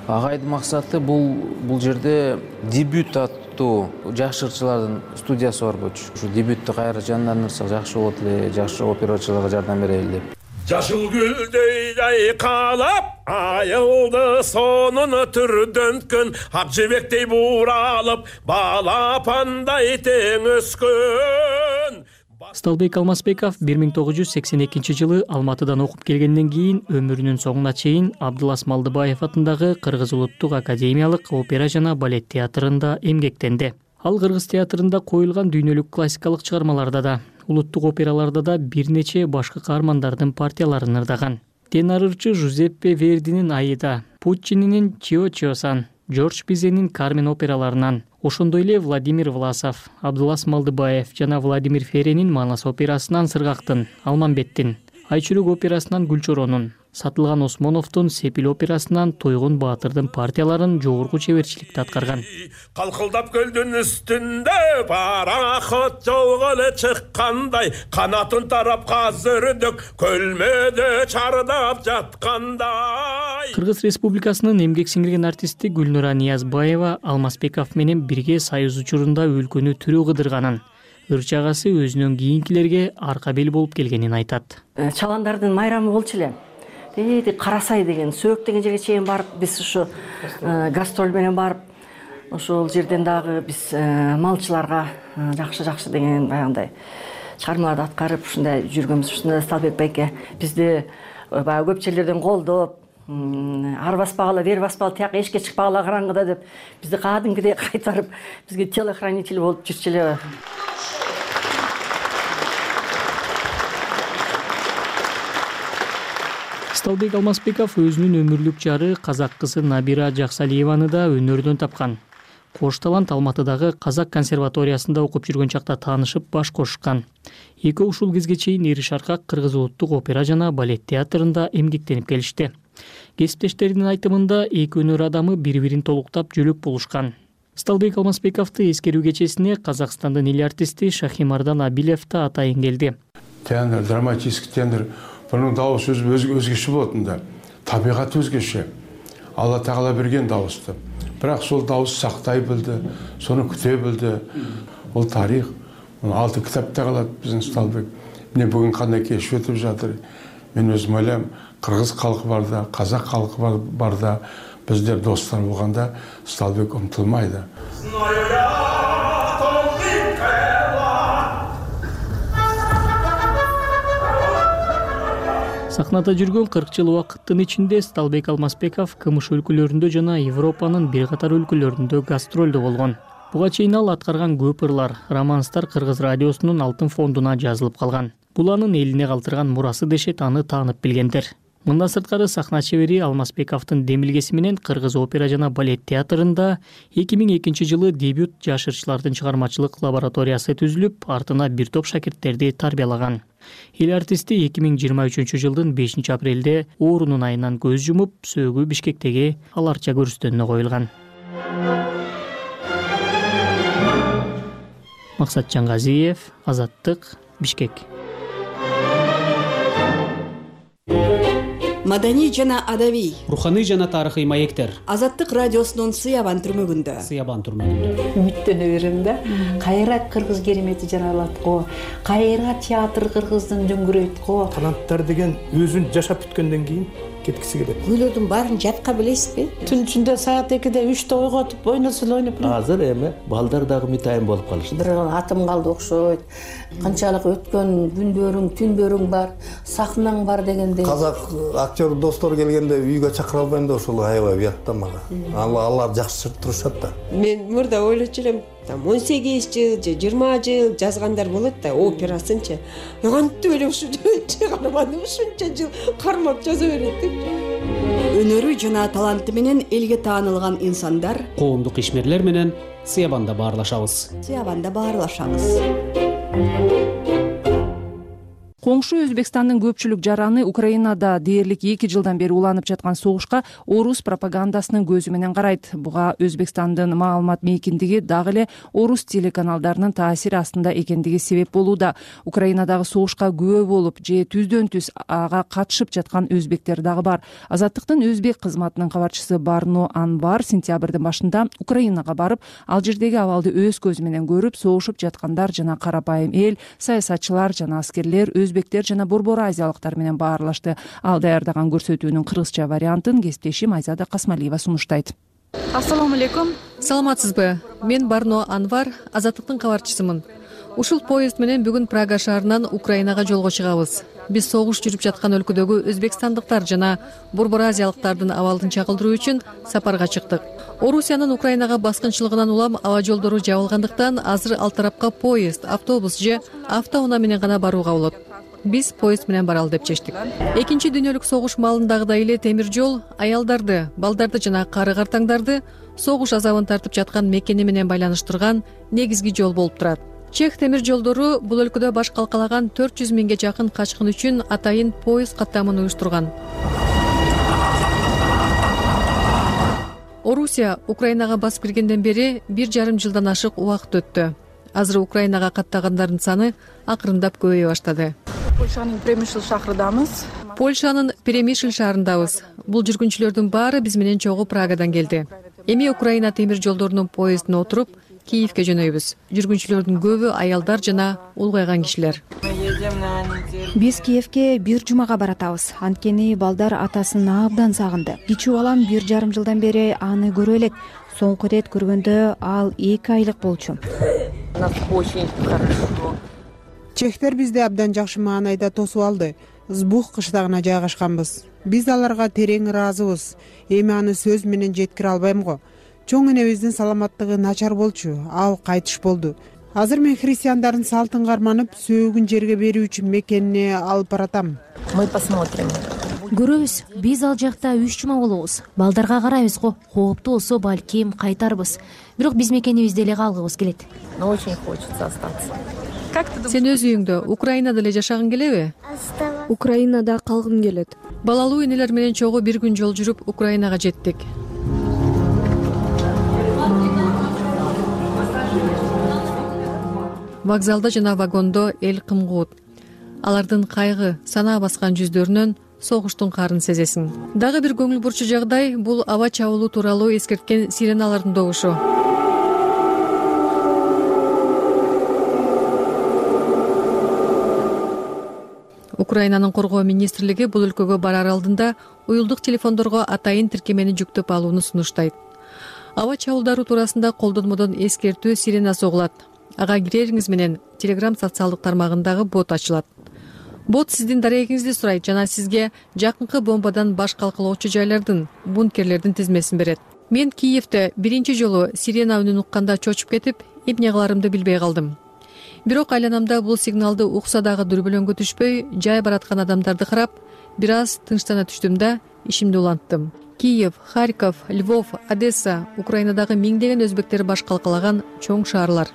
Агайдын максаты бул бул жерде дебют аттуу жакшы ырчылардын студиясы бар болчу. Ушу дебюттү кайра жандандырсак жакшы болот эле, жакшы операчыларга жардам берели деп. Жашыл гүлдөй жайкалап, айылды сонун түрдөнткөн, ак жебектей буралып, балапандай тең өскөн. Сталбек Алмазбеков бир миң тогуз жүз сексен экинчи жылы Алматыдан окуп келгенден кийин өмүрүнүн соңуна чейин Абдылас Малдыбаев атындагы Кыргыз улуттук академиялык опера жана балет театрында эмгектенди. Ал Кыргыз театрында коюлган дүйнөлүк классикалык чыгармаларда да, улуттук операларда да бир нече башкы каармандардын партияларын ырдаган. Тенор ырчы Жузеппе Вердинин Аида, Пуччининин Чио Чиосан, Жорж Пизенин Кармен операларынан, ошондой эле Владимир Власов, Абдылас Малдыбаев жана Владимир Ференин Манас операсынан Сыргактын, Алмамбеттин, Айчүрөк операсынан Гүлчоронун, Сатылган Осмоновдун Сепил операсынан Тойгун Баатырдын партияларын жогорку чеберчиликте аткарган. Калкылдап көлдүн үстүндө пароход жолго эле чыккандай, канатын тарап казырдык көлмөдө чардап жаткандай. Кыргыз Республикасынын эмгек сиңирген артисти Гүлнура Ниязбаева Алмазбеков менен бирге союз учурунда өлкөнү түрү кыдырганын, ырчы агасы өзүнөн кийинкилерге арка бел болуп келгенин айтат. Чаландардын майрамы болчу эле. Дейди Карасай деген, Сөөк деген жерге чейин барып, биз ушу гастроль менен барып, ошол жерден дагы биз малчыларга жакшы-жакшы деген баягындай чыгармаларды аткарып, ушундай жүргөнбүз. Ушунда Сталбек байке бизди баягы көп жерлерден колдоп, ар баспагыла, бери баспагыла, тияк эшикке чыкпагыла караңгыда деп бизди кадимкидей кайтарып, бизге телохранитель болуп жүрчү эле. Сталбек Алмазбеков өзүнүн өмүрлүк жары казак кызы Набира Жаксалиеваны да өнөрдөн тапкан. Кош талант Алматыдагы Казак консерваториясында окуп жүргөн чакта таанышып баш кошушкан. Экөө ушул кезге чейин Ири Шаркак Кыргыз улуттук опера жана балет театрында эмгектенип келишти. Кесиптештеринин айтымында эки өнөр адамы бири-бирин толуктап жөлөк болушкан. Сталбек Алмазбековду эскерүү кечесине Казакстандын эл артисти Шахимардан Абилев да атайын келди. Тенор, драматический тенор. Bunun dağısı özgeçi bolotunda, tabiat özgeçi. Алла Тағала берген дауысты. Бірақ сол дауыс сақтай білді, соны күте білді. Ол тарих. Алты кітапта қалады біздің Сталбек. Міне бүгін қандай кеш өтіп жатыр. Мен өзім ойлаймын, қырғыз халқы барда, қазақ халқы барда, біздер достар болғанда Сталбек ұмытылмайды. Сахнада жүргөн кырк жыл убакыттын ичинде Сталбек Алмазбеков КМШ өлкөлөрүндө жана Европанын бир катар өлкөлөрүндө гастролдо болгон. Буга чейин ал аткарган көп ырлар, романстар Кыргыз радиосунун алтын фондуна жазылып калган. Бул анын элине калтырган мурасы дешет, аны таанып билгендер. Мындан сырткары сахна чебери Алмазбековдун демилгеси менен Кыргыз опера жана балет театрында эки миң экинчи жылы дебют жаш ырчылардын чыгармачылык лабораториясы түзүлүп, артына бир топ шакирттерди тарбиялаган. Эл артисти эки миң жыйырма үчүнчү жылдын бешинчи апрелде оорунун айынан көз жумуп, сөөгү Бишкектеги Аларча көрүстөнүнө коюлган. Максат Жангазиев, Азаттык, Бишкек. Маданий жана адабий, руханий жана тарыхый маектер. Азаттык радиосунун Сыябан түрмөгүндө. Сыябан түрмөгүндө. Үмүттөнө берем да. Кайра кыргыз керемети жаралат го. Кайра театр кыргыздын дөңгүрөйт го. Таланттар деген өзүн жашап бүткөндөн кийин кеткиси келет. Күйлөрдүн баарын жатка билесизби? Түн ичинде саат экиде үчтө ойготуп ойносул ойноп. Азыр эми балдар дагы мытайын болуп калышты. Бир атым калды окшойт. Канчалык өткөн күндөрүң, түндөрүң бар, сахнаң бар дегендей. Казак актер достор келгенде үйгө чакыра албайм да ошол аябай уят да мага. Алар жакшы турушат да. Мен мурда ойлочу элем, там он сегиз жыл же жыйырма жыл жазгандар болот да, операсынчы. Кантип эле ушу чыгарманы ушунча жыл кармап жаза берет деп. Өнөрү жана таланты менен элге таанылган инсандар коомдук ишмерлер менен Сыябанда баарлашабыз. Сыябанда баарлашабыз. Коңшу Өзбекстандын көпчүлүк жараны Украинада дээрлик эки жылдан бери уланып жаткан согушка орус пропагандасынын көзү менен карайт. Буга Өзбекстандын маалымат мейкиндиги дагы эле орус телеканалдарынын таасири астында экендиги себеп болууда. Украинадагы согушка күбө болуп же түздөн түз ага катышып жаткан өзбектер дагы бар. Азаттыктын өзбек кызматынын кабарчысы Барно Анвар сентябрдын башында Украинага барып, ал жердеги абалды өз көзү менен көрүп, согушуп жаткандар жана карапайым эл, саясатчылар жана аскерлер, өзбектер жана борбор азиялыктар менен баарлашты. Ал даярдаган көрсөтүүнүн кыргызча вариантын кесиптешим Айзада Касмалиева сунуштайт. Ассаламу алейкум. Саламатсызбы? Мен Барно Анвар, Азаттыктын кабарчысымын. Ушул поезд менен бүгүн Прага шаарынан Украинага жолго чыгабыз. Биз согуш жүрүп жаткан өлкөдөгү өзбекстандыктар жана борбор азиялыктардын абалын чагылдыруу үчүн сапарга чыктык. Орусиянын Украинага баскынчылыгынан улам аба жолдору жабылгандыктан азыр ал тарапка поезд, автобус же автоунаа менен гана барууга болот. Биз поезд менен баралы деп чечтик. Экинчи дүйнөлүк согуш маалындагыдай эле темир жол аялдарды, балдарды жана кары картаңдарды согуш азабын тартып жаткан мекени менен байланыштырган негизги жол болуп турат. Чех темир жолдору бул өлкөдө баш калкалаган төрт жүз миңге жакын качкын үчүн атайын поезд каттамын уюштурган. Орусия Украинага басып киргенден бери бир жарым жылдан ашык убакыт өттү. Азыр Украинага каттагандардын саны акырындап көбөйө баштады. Польшанын Премишл шаарындамыз. Польшанын Премишл шаарындабыз. Бул жүргүнчүлөрдүн баары биз менен чогуу Прагадан келди. Эми Украина темир жолдорунун поездине отуруп Киевке жөнөйбүз. Жүргүнчүлөрдүн көбү аялдар жана улгайган кишилер. Биз Киевке бир жумага баратабыз. Анткени балдар атасын абдан сагынды. Кичүү балам бир жарым жылдан бери аны көрө элек. Соңку ирет көргөндө ал эки айлык болчу. Чехтер бизди абдан жакшы маанайда тосуп алды. Збух кыштагына жайгашканбыз. Биз аларга терең ыраазыбыз. Эми аны сөз менен жеткире албайм го. Чоң энебиздин саламаттыгы начар болчу, ал кайтыш болду. Азыр мен христиандардын салтын карманып, сөөгүн жерге берүү үчүн мекенине алып баратам. Мы посмотрим. Көрөбүз, биз ал жакта үч жума болобуз. Балдарга карайбыз го, кооптуу болсо балким кайтарбыз. Бирок биз мекенибизде эле калгыбыз келет. Но очень хочется остаться. Сен өз үйүңдө Украинада эле жашагың келеби? Украинада калгым келет. Балалуу энелер менен чогуу бир күн жол жүрүп Украинага жеттик. Вокзалда жана вагондо эл кымкуут. Алардын кайгы, санаа баскан жүздөрүнөн согуштун карын сезесиң. Дагы бир көңүл бурчу жагдай бул аба чабуулу тууралуу эскерткен сиреналардын добушу. Украинанын коргоо министрлиги бул өлкөгө барар алдында уюлдук телефондорго атайын тиркемени жүктөп алууну сунуштайт. Аба чабуулдары туурасында колдонмодон эскертүү сирена согулат. Ага кирериңиз менен Telegram социалдык тармагындагы бот ачылат. бот сиздин дарегиңизди сурайт жана сизге жакынкы бомбадан баш калкалоочу жайлардын, бункерлердин тизмесин берет. Мен Киевде биринчи жолу сирена үнүн укканда чочуп кетип, эмне кыларымды билбей калдым. Бирок айланамда бул сигналды укса дагы дүрбөлөңгө түшпөй, жай бараткан адамдарды карап, бир аз тынчтана түштүм да ишимди уланттым. Киев, Харьков, Львов, Одесса, Украинадагы миңдеген өзбектер баш калкалаган чоң шаарлар.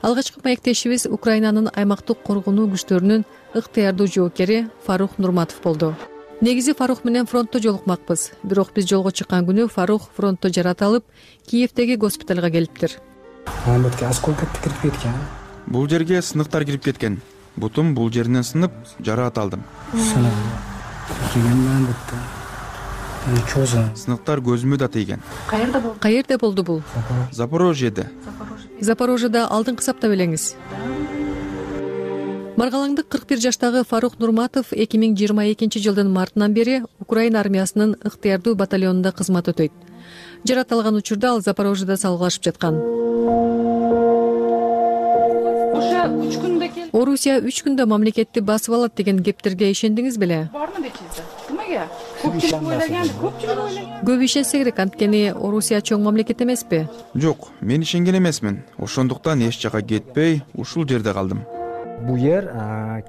Алгачкы маектешибиз Украинанын аймактык коргонуу күчтөрүнүн ыктыярдуу жоокери Фарух Нурматов болду. Негизи Фарух менен фронтто жолукмакпыз, бирок биз жолго чыккан күнү Фарух фронтто жарата алып, Киевдеги госпиталга келиптир. Бул жерге сыныктар кирип кеткен. Бутум бул жеринен сынып, жараат алдым. Сыныктар көзүмө да тийген. Каерде болду? Каерде болду бул? Запорожьеде. Запорожьеда алдыңкы саптап элеңиз. Маргалаңдык кырк бир жаштагы Фарух Нурматов эки миң жыйырма экинчи жылдын мартынан бери Украина армиясынын ыктыярдуу батальонунда кызмат өтөйт. Жарат алган учурда ал Запорожьеда салгылашып жаткан. Орусия үч күндө мамлекетти басып алат деген кептерге ишендиңиз беле? Бармы дейсиз? Кимге? Көпчүлүк ойлаган, көпчүлүк ойлаган. Көп ишенсе керек, анткени Орусия чоң мамлекет эмеспи? Жок, мен ишенген эмесмин. Ошондуктан эч жака кетпей, ушул жерде калдым. Бул жер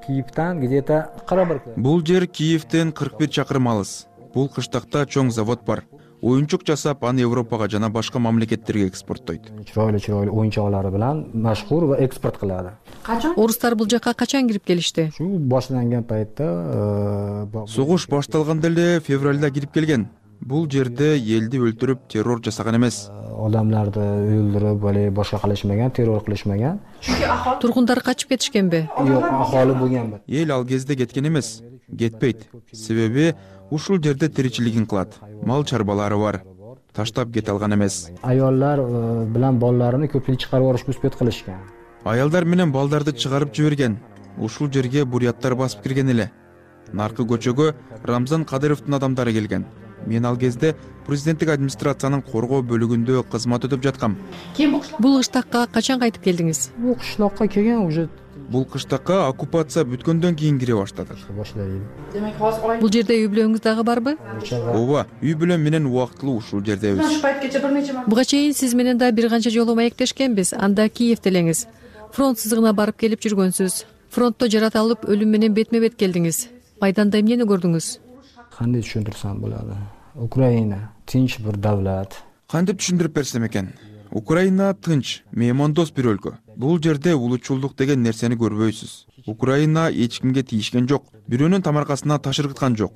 Киевден где-то кырк бир. Бул жер Киевден кырк бир чакырым алыс. Бул кыштакта чоң завод бар. Оюнчук жасап, аны Европага жана башка мамлекеттерге экспорттойт. Чыройлуу чыройлуу оюнчуктары менен машхур ва экспорт кылады. Качан? Орустар бул жака качан кирип келишти? Шу башталган пайтта, согуш башталганда эле февралда кирип келген. Бул жерде элди өлтүрүп, террор жасаган эмес. Адамдарды өлтүрүп, эле башка кылышмаган, террор кылышмаган. Тургундар качып кетишкенби? Жок, ахалы болгон. Эл ал кезде кеткен эмес, кетпейт. Себеби ушул жерде тиричилигин кылат. Мал чарбалары бар. Таштап кете алган эмес. Аялдар билан балдарын көпүнчө чыгарып алышып үспөт кылышкан. Аялдар менен балдарды чыгарып жиберген. Ушул жерге буряттар басып кирген эле. Наркы көчөгө Рамзан Кадыровдун адамдары келген. Мен ал кезде президенттик администрациянын коргоо бөлүгүндө кызмат өтүп жаткам. Бул кыштакка качан кайтып келдиңиз? Бул кыштакка келген уже. Бул кыштакка оккупация бүткөндөн кийин кире баштадык. Бул жерде үй бүлөңүз дагы барбы? Ооба, үй бүлөм менен убактылуу ушул жердебиз. Буга чейин сиз менен да бир канча жолу маектешкенбиз. Анда Киевде элеңиз. Фронт сызыгына барып келип жүргөнсүз. Фронтто жарата алып, өлүм менен бетме бет келдиңиз. Майданда эмнени көрдүңүз? Кандай түшүндүрсөм болот? Украина тынч бир давлат. Кантип түшүндүрүп берсем экен? Украина тынч, меймандос бир өлкө. Бул жерде улутчулдук деген нерсени көрбөйсүз. Украина эч кимге тийишкен жок, бирөөнүн тамаркасына таш ыргыткан жок.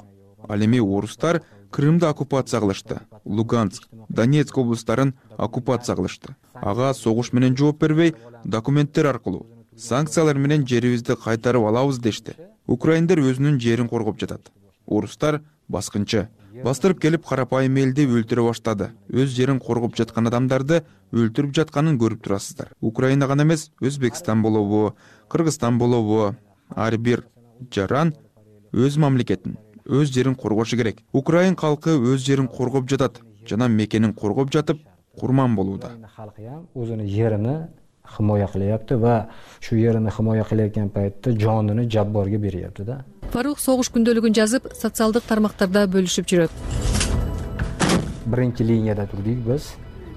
Ал эми орустар Крымды оккупация кылышты. Луганск, Донецк облустарын оккупация кылышты. Ага согуш менен жооп бербей, документтер аркылуу санкциялар менен жерибизди кайтарып алабыз дешти. Украиндер өзүнүн жерин коргоп жатат. Орустар баскынчы. Бастырып келип карапайым элди өлтүрө баштады. Өз жерин коргоп жаткан адамдарды өлтүрүп жатканын көрүп турасыздар. Украина гана эмес, Өзбекстан болобу, Кыргызстан болобу, ар бир жаран өз мамлекетин, өз жерин коргошу керек. Украин калкы өз жерин коргоп жатат, жана мекенин коргоп жатып, курман болууда. Халкы ham o'zini yerini himoya qilyapti va shu yerini himoya qilayotgan paytda jonini jabborga beryapti-da. Фарух согуш күндөлүгүн жазып, социалдык тармактарда бөлүшүп жүрөт. Биринчи линияда турдук биз.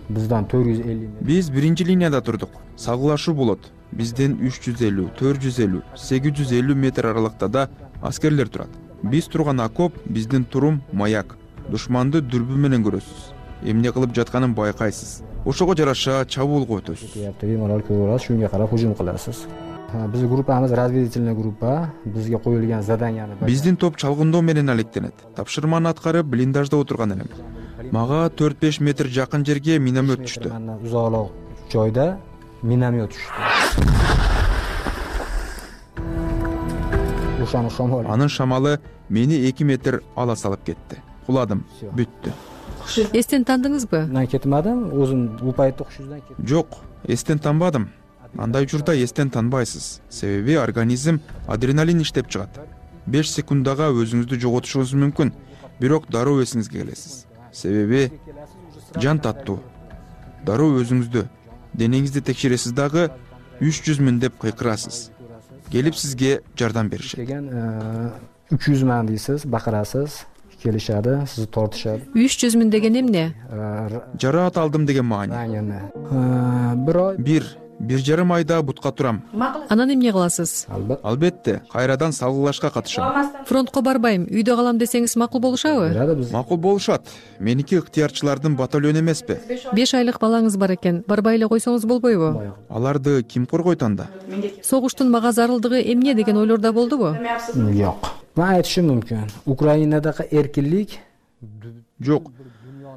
Bizden төрт жүз элүү. Биз биринчи линияда турдук. Салгылашуу болот. Бизден үч жүз элүү, төрт жүз элүү, сегиз жүз элүү метр аралыктада аскерлер турат. Биз турган окоп, биздин турум маяк. Душманды дүрбү менен көрөсүз. Эмне кылып жатканын байкайсыз. Ошого жараша чабуулга өтөсүз. Shunga qarab hujum qilasiz. Биздин группабыз разведывательный группа. Бизге коюлган заданияны. Биздин топ чалгындоо менен алектенет. Тапшырманы аткарып блиндажда отурган элем. Мага төрт беш метр жакын жерге миномет түштү. Узоолоо жойдо миномет түштү. Ушаны шамал. Анын шамалы мени эки метр ала салып кетти. Куладым, бүттү. Эстен тандыңызбы? Мен кетмедим, өзүм бул пайтта окшуздан кеттим. Жок, эстен танбадым. Андай учурда эстен танбайсыз. Себеби организм адреналин иштеп чыгат. беш секундага өзүңүздү жоготушуңуз мүмкүн, бирок дароо эсиңизге келесиз. Себеби жан таттуу. Дароо өзүңүздү, денеңизди текшересиз дагы үч жүз миң деп кыйкырасыз. келип сизге жардам беришет. Деген үч жүз миң дейсиз, бакырасыз, келишadi, сизди тортушат. үч жүз миң деген эмне? Жараат алдым деген маани. Бир ой. Бир бир жарым айда бутка турам. Анан эмне кыласыз? Албетте, кайрадан салгылашка катышам. Фронтко барбайм, үйдө калам десеңиз макул болушабы? Макул болушат. Меники ыктыярчылардын батальону эмеспи? беш айлык балаңыз бар экен, барбай эле койсоңуз болбойбу? Аларды ким коргойт анда? Согуштун мага зарылдыгы эмне деген ойлордо болдубу? Жок. Мен айтышым мүмкүн. Украинадагы эркинлик жок.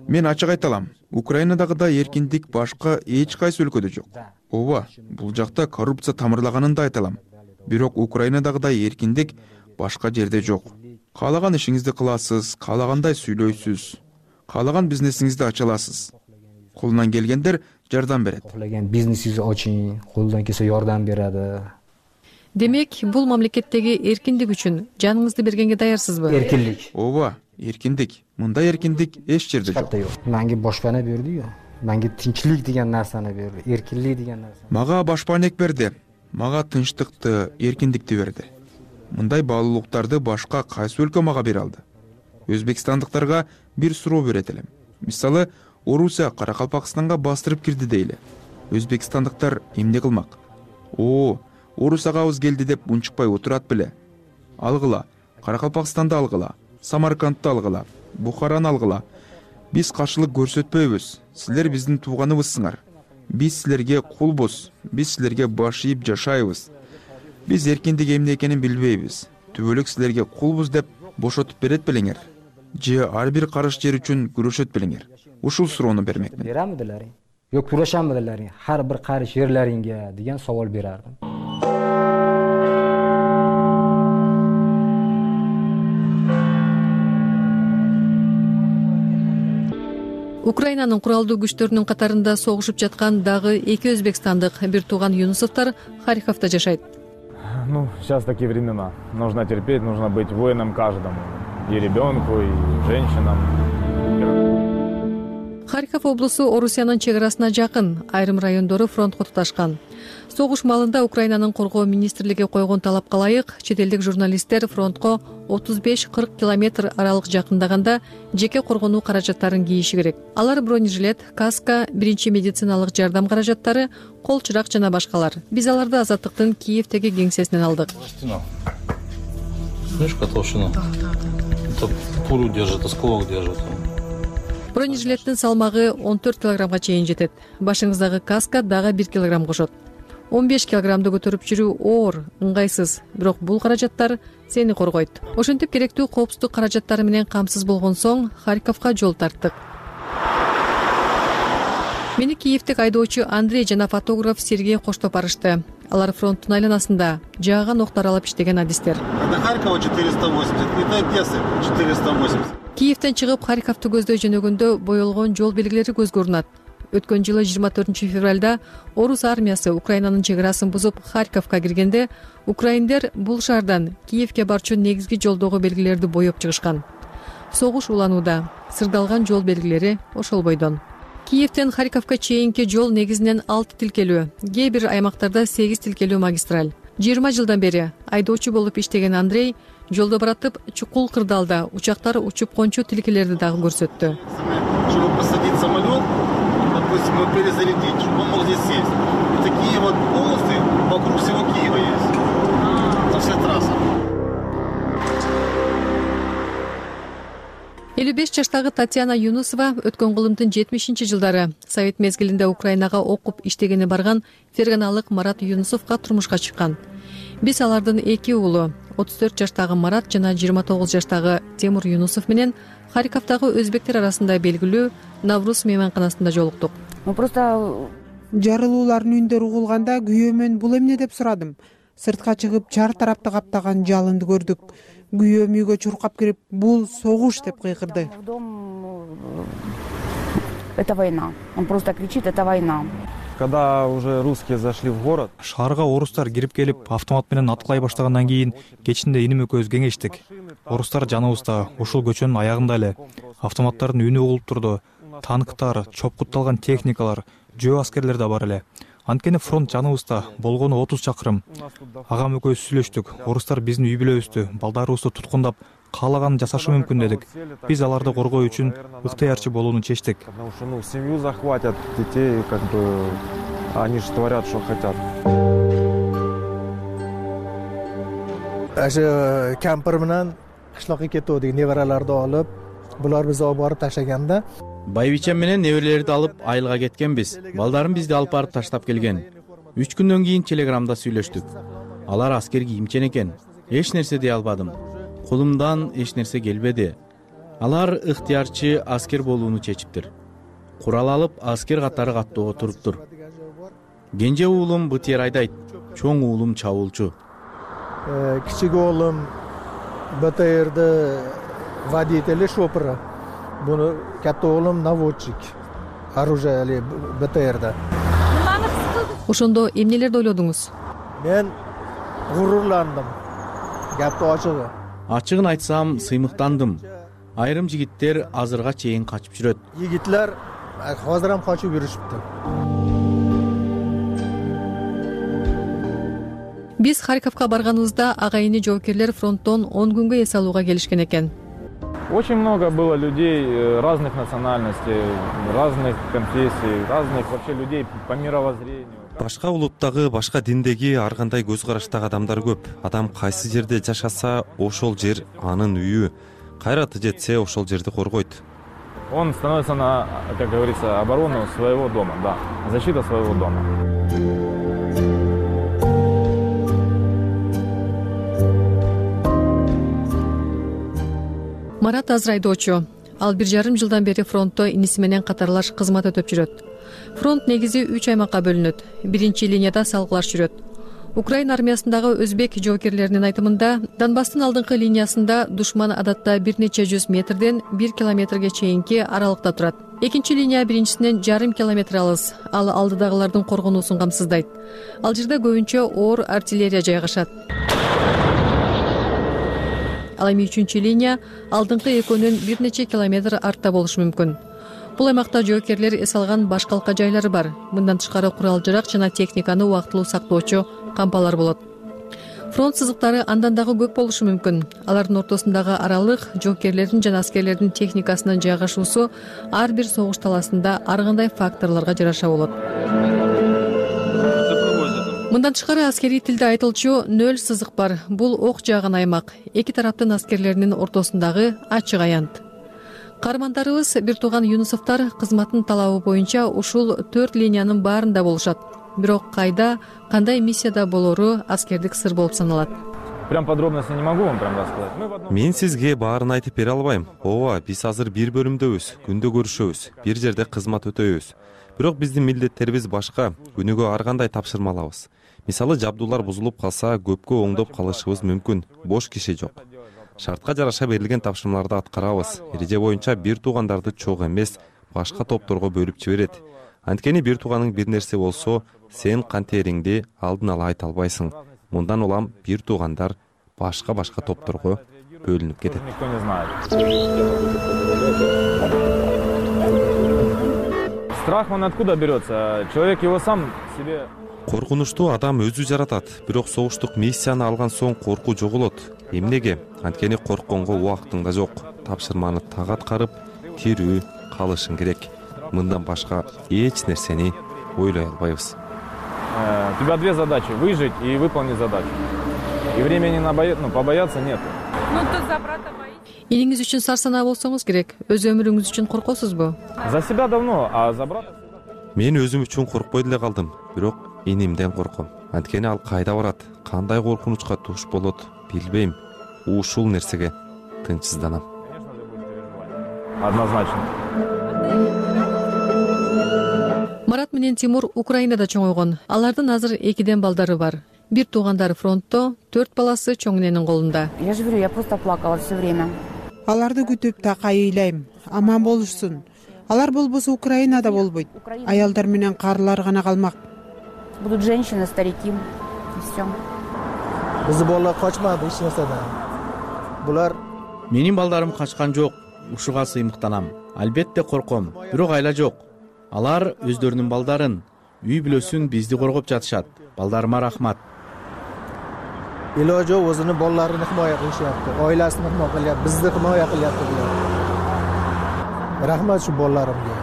Мен ачык айта алам. Украинадагыдай эркиндик башка эч кайсы өлкөдө жок. Ооба, бул жакта коррупция тамырлаганын да айта алам. Бирок Украинадагыдай эркиндик башка жерде жок. Каалаган ишиңизди кыласыз, каалагандай сүйлөйсүз, каалаган бизнесиңизди ача аласыз. Колунан келгендер жардам берет. Каалаган бизнесиңизди ачың, колунан келсе жардам берет. Демек, бул мамлекеттеги эркиндик үчүн жаныңызды бергенге даярсызбы? Эркинлик. Ооба, эркиндик. Мындай эркиндик эч жерде жок. Менге башпана берди. Менге тынччылык деген нерсени берди, эркинлик деген нерсе. Мага башпанек берди. Мага тынчтыкты, эркиндикти берди. Мындай баалуулуктарды башка кайсы өлкө мага бере алды? Өзбекстандыктарга бир суроо берет элем. Мисалы, Орусия Каракалпакстанга бастырып кирди дейли. Өзбекстандыктар эмне кылмак? О, Орусияга ауыз келди деп унчукпай отурат беле. Алгыла, Каракалпакстанды алгыла, Самаркандты алгыла, Бухараны алгыла. Биз каршылык көрсөтпөйбүз. Силер биздин тууганыбызсыңар. Биз силерге кулбуз. Биз силерге баш ийип жашайбыз. Биз эркиндик эмне экенин билбейбиз. Түбөлүк силерге кулбуз деп бошотуп берет белеңер. Же ар бир карыш жер үчүн күрөшөт белеңер. Ушул суроону бермекмин. Берамыдылар? Жок, күрөшөмүдүлөр? Ар бир карыш жерлериңге деген savol berardim. Украинанын куралдуу күчтөрүнүн катарында согушуп жаткан дагы эки өзбекстандык бир тууган Юнусовдор Харьковдо жашайт. Ну, сейчас такие времена. Нужно терпеть, нужно быть воином каждому. И ребенку, и женщинам. Харьков облусу Орусиянын чек арасына жакын, айрым райондору фронтко туташкан. Согуш маалында Украинанын коргоо министрлиги койгон талапка ылайык чет элдик журналисттер фронтко отуз беш кырк километр аралык жакындаганда жеке коргонуу каражаттарын кийиши керек. Алар бронежилет, каска, биринчи медициналык жардам каражаттары, кол чырак жана башкалар. Биз аларды Азаттыктын Киевдеги кеңсесинен алдык. Мешка толщина. Это пулю держит, осколок держит. Бронежилеттин салмагы он төрт килограммга чейин жетет. Башыңыздагы каска дагы бир килограмм кошот. он беш килограммды көтөрүп жүрүү оор, ыңгайсыз, бирок бул каражаттар сени коргойт. Ошентип керектүү коопсуздук каражаттары менен камсыз болгон соң Харьковго жол тарттык. Мени Киевдик айдоочу Андрей жана фотограф Сергей коштоп барышты. Алар фронттун айланасында жааган октор алып иштеген адистер. До Харькова четыреста восемьдесят, и до Одессы четыреста восемьдесят. Киевден чыгып Харьковду көздөй жөнөгөндө боелгон жол белгилери көзгө урунат. Өткөн жылы жыйырма төртүнчү февралда орус армиясы Украинанын чек арасын бузуп Харьковго киргенде украиндер бул шаардан Киевге барчу негизги жолдогу белгилерди боеп чыгышкан. Согуш уланууда, сырдалган жол белгилери ошол бойдон. Киевден Харьковго чейинки жол негизинен алты тилкелүү, кээ бир аймактарда сегиз тилкелүү магистраль. жыйырма жылдан бери айдоочу болуп иштеген Андрей жолдо баратып чукул кырдаалда учактар учуп кончу тилкелерди дагы көрсөттү. Чтобы посадить самолет, допустим, его перезарядить, чтобы он мог здесь сесть. И такие вот полосы вокруг всего Киева есть. Это вся трасса. элүү беш жаштагы Татьяна Юнусова өткөн кылымдын жетимишинчи жылдары Совет мезгилинде Украинага окуп иштегени барган ферганалык Марат Юнусовго турмушка чыккан. Биз алардын эки уулу, отуз төрт жаштагы Марат жана жыйырма тогуз жаштагы Темур Юнусов менен Харьковдагы өзбектер арасында белгилүү Навруз мейманканасында жолуктук. Ну просто жарылуулардын үндөрү угулганда күйөөмөн бул эмне деп сурадым. Сыртка чыгып чар тарапты каптаган жалынды көрдүк. Күйөөм үйгө чуркап кирип, бул согуш деп кыйкырды. Это война. Он просто кричит: это война. Когда уже русские зашли в город, шаарга орустар кирип келип, автомат менен аткылай баштагандан кийин кечинде иним экөөбүз кеңештик. Орустар жаныбызда, ушул көчөнүн аягында эле. Автоматтардын үнү угулуп турду. Танктар, чопкутталган техникалар, жөө аскерлер да бар эле. Анткени фронт жаныбызда, болгону отуз чакырым. Агам экөөбүз сүйлөштүк. Орустар биздин үй бүлөбүздү, балдарыбызды туткундап, каалаганын жасашы мүмкүн дедик. Биз аларды коргоо үчүн ыктыярчы болууну чечтик. Потому что, ну, семью захватят, детей, как бы, они же творят, что хотят. Aşı kamper менен кышлакка кетүүдү небераларды алып, булар бизди алып барып таштаганда, байбичем менен неберелерди алып айылга кеткенбиз. Балдарым бизди алып барып таштап келген. Үч күндөн кийин телеграмда сүйлөштүк. Алар аскер кийимчен экен. Эч нерсе дей албадым. Колумдан эч нерсе келбеди. Алар ыктыярчы аскер болууну чечиптир. Курал алып аскер катары каттоого туруптур. Кенже уулум БТР айдайт, чоң уулум чабуулчу. Кичик уулум БТРди водители шопыры. Буну катта уулум наводчик. Оружие БТРда. Ошондо эмнелерди ойлодуңуз? Мен гурурландым. Гапты ачыгы. Ачыгын айтсам, сыймыктандым. Айрым жигиттер азырга чейин качып жүрөт. Жигитлер азыр ham качып жүрүшүптү. Биз Харьковго барганыбызда агайыны жоокерлер фронттон он күнгө эс алууга келишкен экен. Очень много было людей разных национальностей, разных конфессий, разных вообще людей по мировоззрению. Башка улуттагы, башка диндеги, ар кандай көз караштагы адамдар көп. Адам кайсы жерде жашаса, ошол жер анын үйү. Кайраты жетсе, ошол жерди коргойт. Он становится на, как говорится, оборону своего дома, да, защита своего дома. Марат азыр айдоочу. Ал бир жарым жылдан бери фронтто иниси менен катарлаш кызмат өтөп жүрөт. Фронт негизи үч аймакка бөлүнөт. Биринчи линияда салгылаш жүрөт. Украина армиясындагы өзбек жоокерлеринин айтымында, Донбасстын алдыңкы линиясында душман адатта бир нече жүз метрден бир километрге чейинки аралыкта турат. Экинчи линия биринчисинен жарым километр алыс, ал алдыдагылардын коргонуусун камсыздайт. Ал жерде көбүнчө оор артиллерия жайгашат. Ал эми үчүнчү линия алдыңкы экөөнүн бир нече километр артта болушу мүмкүн. Бул аймакта жоокерлер эс алган башкалка жайлары бар. Мындан тышкары курал-жарак жана техниканы убактылуу сактоочу кампалар болот. Фронт сызыктары андан дагы көп болушу мүмкүн. Алардын ортосундагы аралык жоокерлердин жана аскерлердин техникасынын жайгашуусу ар бир согуш таласында ар кандай факторлорго жараша болот. Мындан тышкары аскерий тилде айтылчу нөл сызык бар. Бул ок жааган аймак. Эки тараптын аскерлеринин ортосундагы ачык аянт. Каармандарыбыз бир тууган Юнусовдор кызматтын талабы боюнча ушул төрт линиянын баарында болушат. Бирок кайда, кандай миссияда болору аскердик сыр болуп саналат. Прям подробности не могу вам прям рассказать. Мен сизге баарын айтып бере албайм. Ооба, биз азыр бир бөлүмдөбүз, күндө көрүшөбүз, бир жерде кызмат өтөбүз. Бирок биздин милдеттерибиз башка, күнүгө ар кандай тапшырма алабыз. Мисалы, жабдуулар бузулуп калса, көпкө оңдоп калышыбыз мүмкүн. Бош киши жок. Шартка жараша берилген тапшырмаларды аткарабыз. Эреже боюнча бир туугандарды чогуу эмес, башка топторго бөлүп жиберет. Анткени бир тууганың бир нерсе болсо, сен кантериңди алдын ала айта албайсың. Мындан улам бир туугандар башка-башка топторго бөлүнүп кетет. Страх он откуда берется? Человек его сам себе... Коркунучту адам өзү жаратат, бирок согуштук миссияны алган соң коркуу жоголот. Эмнеге? Анткени коркконго убактың да жок. Тапшырманы так аткарып, тирүү калышың керек. Мындан башка эч нерсени ойлой албайбыз. У тебя две задачи: выжить и выполнить задачу. И времени на боя... ну, побояться нет. Ну ты за брата боишься? Элиңиз үчүн сарсанаа болсоңуз керек. Өз өмүрүңүз үчүн коркосузбу? За себя давно, а за брата... Мен өзүм үчүн коркпой деле калдым, бирок инимден корком. Анткени ал кайда барат, кандай коркунучка туш болот, билбейм. Ушул нерсеге тынчсызданам. Однозначно. Марат менен Тимур Украинада чоңойгон. Алардын азыр экиден балдары бар. Бир туугандары фронтто, төрт баласы чоң эненин колунда. Я же говорю, я просто плакала все время. Аларды күтүп так айыйлайм. Аман болушсун. Алар болбосо Украинада болбойт. Аялдар менен карылар гана калмак. Будут женщины, старики и все. Биз балдар качмады эч нерседен. Булар Менин балдарым качкан жок. Ушуга сыймыктанам. Албетте корком, бирок айла жок. Алар өздөрүнүн балдарын, үй бүлөсүн бизди коргоп жатышат. Балдарыма рахмат. Iloji yo'q o'zini bolalarini himoya qilishyapti, oilasini himoya qilyapti, bizni himoya qilyapti bular. Rahmat shu bolalarimga.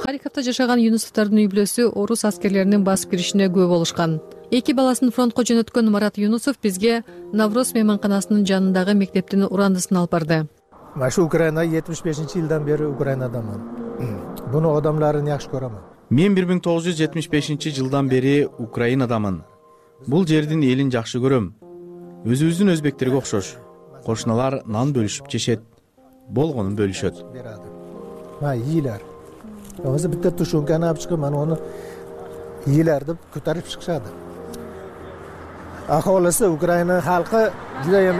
Харьковдо жашаган Юнусовдордун үй бүлөсү орус аскерлеринин басып киришине күбө болушкан. Эки баласын фронтко жөнөткөн Марат Юнусов бизге Навроз мейманканасынын жанындагы мектептин урандысын алып барды. Мен шу Украина жетимиш бешинчи жылдан бери Украинадамын. Буну адамдарын жакшы көрөмүн. Мен бир миң тогуз жүз жетимиш бешинчи жылдан бери Украинадамын. Бул жердин элин жакшы көрөм. Өзүбүздүн өзбектерге окшош. Кошуналар нан бөлүшүп жешет. Болгонун бөлүшөт. Ма ийилер. Өзү битте тушунканы алып чыгып, мен аны ийилер деп көтөрүп чыгышады. Аholisi Украина халкы juda ham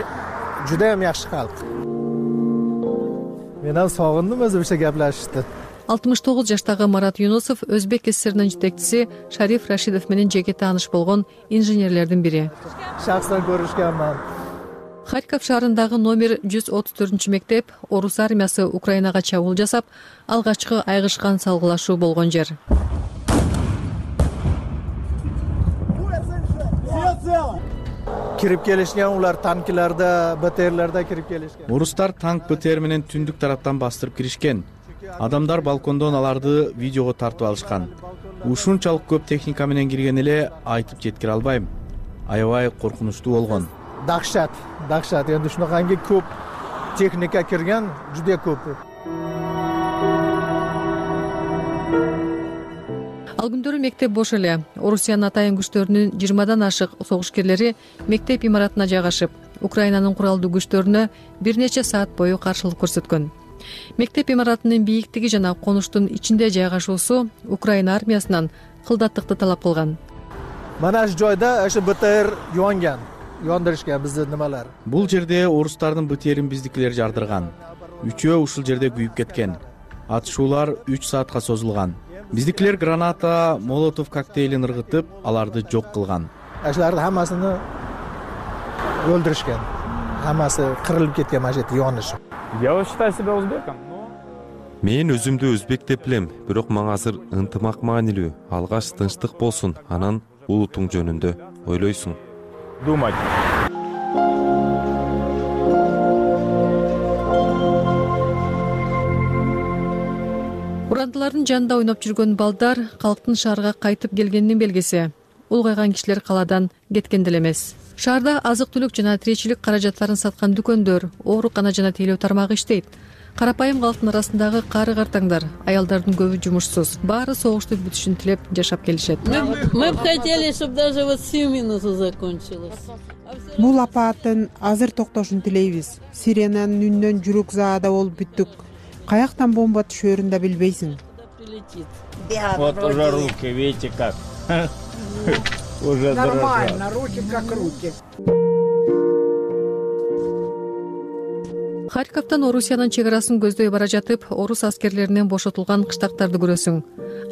juda ham yaxshi xalq. Men ham sog'indim o'zimcha gaplashishdi. алтымыш тогуз жаштагы Марат Юнусов Өзбек ССРнин жетекчиси Шариф Рашидов менен жеке тааныш болгон инженерлердин бири. Шахсан көрүшкөнмүн. Харьков шаарындагы номер жүз отуз төртүнчү мектеп орус армиясы Украинага чабуул жасап, алгачкы айгышкан салгылашуу болгон жер. Кирип келишкен, улар танкиларда, БТРларда кирип келишкен. Орустар танк БТР менен түндүк тараптан бастырып киришкен. Адамдар балкондон аларды видеого тартып алышкан. Ушунчалык көп техника менен кирген эле айтып жеткире албайм. Аябай коркунучтуу болгон. Дахшат, дахшат. Эndi shunaqangi ko'p texnika kirgan, juda ko'p. Ал күндөрү мектеп бош эле. Орусиянын атайын күчтөрүнүн жыйырмадан ашык согушкерлери мектеп имаратына жайгашып, Украинанын куралдуу күчтөрүнө бир нече саат бою каршылык көрсөткөн. Мектеп имаратынын бийиктиги жана конуштун ичинде жайгашуусу Украина армиясынан кылдаттыкты талап кылган. Mana shu joyda o'sha БТР yongan, yondirishgan bizni nimalar. Бул жерде орустардын БТРин биздикилер жардырган. Үчөө ушул жерде күйүп кеткен. Атышуулар үч саатка созулган. Биздикилер граната, молотов коктейлин ыргытып, аларды жок кылган. Ашыларды хаммасыны o'ldirishgan. Hammasi qirilib ketgan mana shu yerda yonish. Я считаю себя узбеком. Мен өзүмдү өзбек деп билем, бирок мага азыр ынтымак маанилүү, алгач тынчтык болсун, анан улутуң жөнүндө ойлойсуң. Думать. Урандылардын жанында ойноп жүргөн балдар калктын шаарга кайтып келгенинин белгиси. Улгайган кишилер калаадан кеткен деле эмес. Шаарда азык-түлүк жана тиричилик каражаттарын саткан дүкөндөр, оорукана жана тейлөө тармагы иштейт. Карапайым калктын арасындагы кары картаңдар, аялдардын көбү жумушсуз. Баары согуштун бүтүшүн тилеп жашап келишет. Мы бы хотели, чтобы даже вот сию минуту закончилось. Бул апааттын азыр токтошун тилейбиз. Сиренанын үнүнөн жүрөк заада болуп бүттүк. Каяктан бомба түшөрүн да билбейсиң. Вот уже руки, видите как. Уже нормально, руки как руки. Харьковдон Орусиянын чек арасын көздөй бара жатып, орус аскерлеринен бошотулган кыштактарды көрөсүң.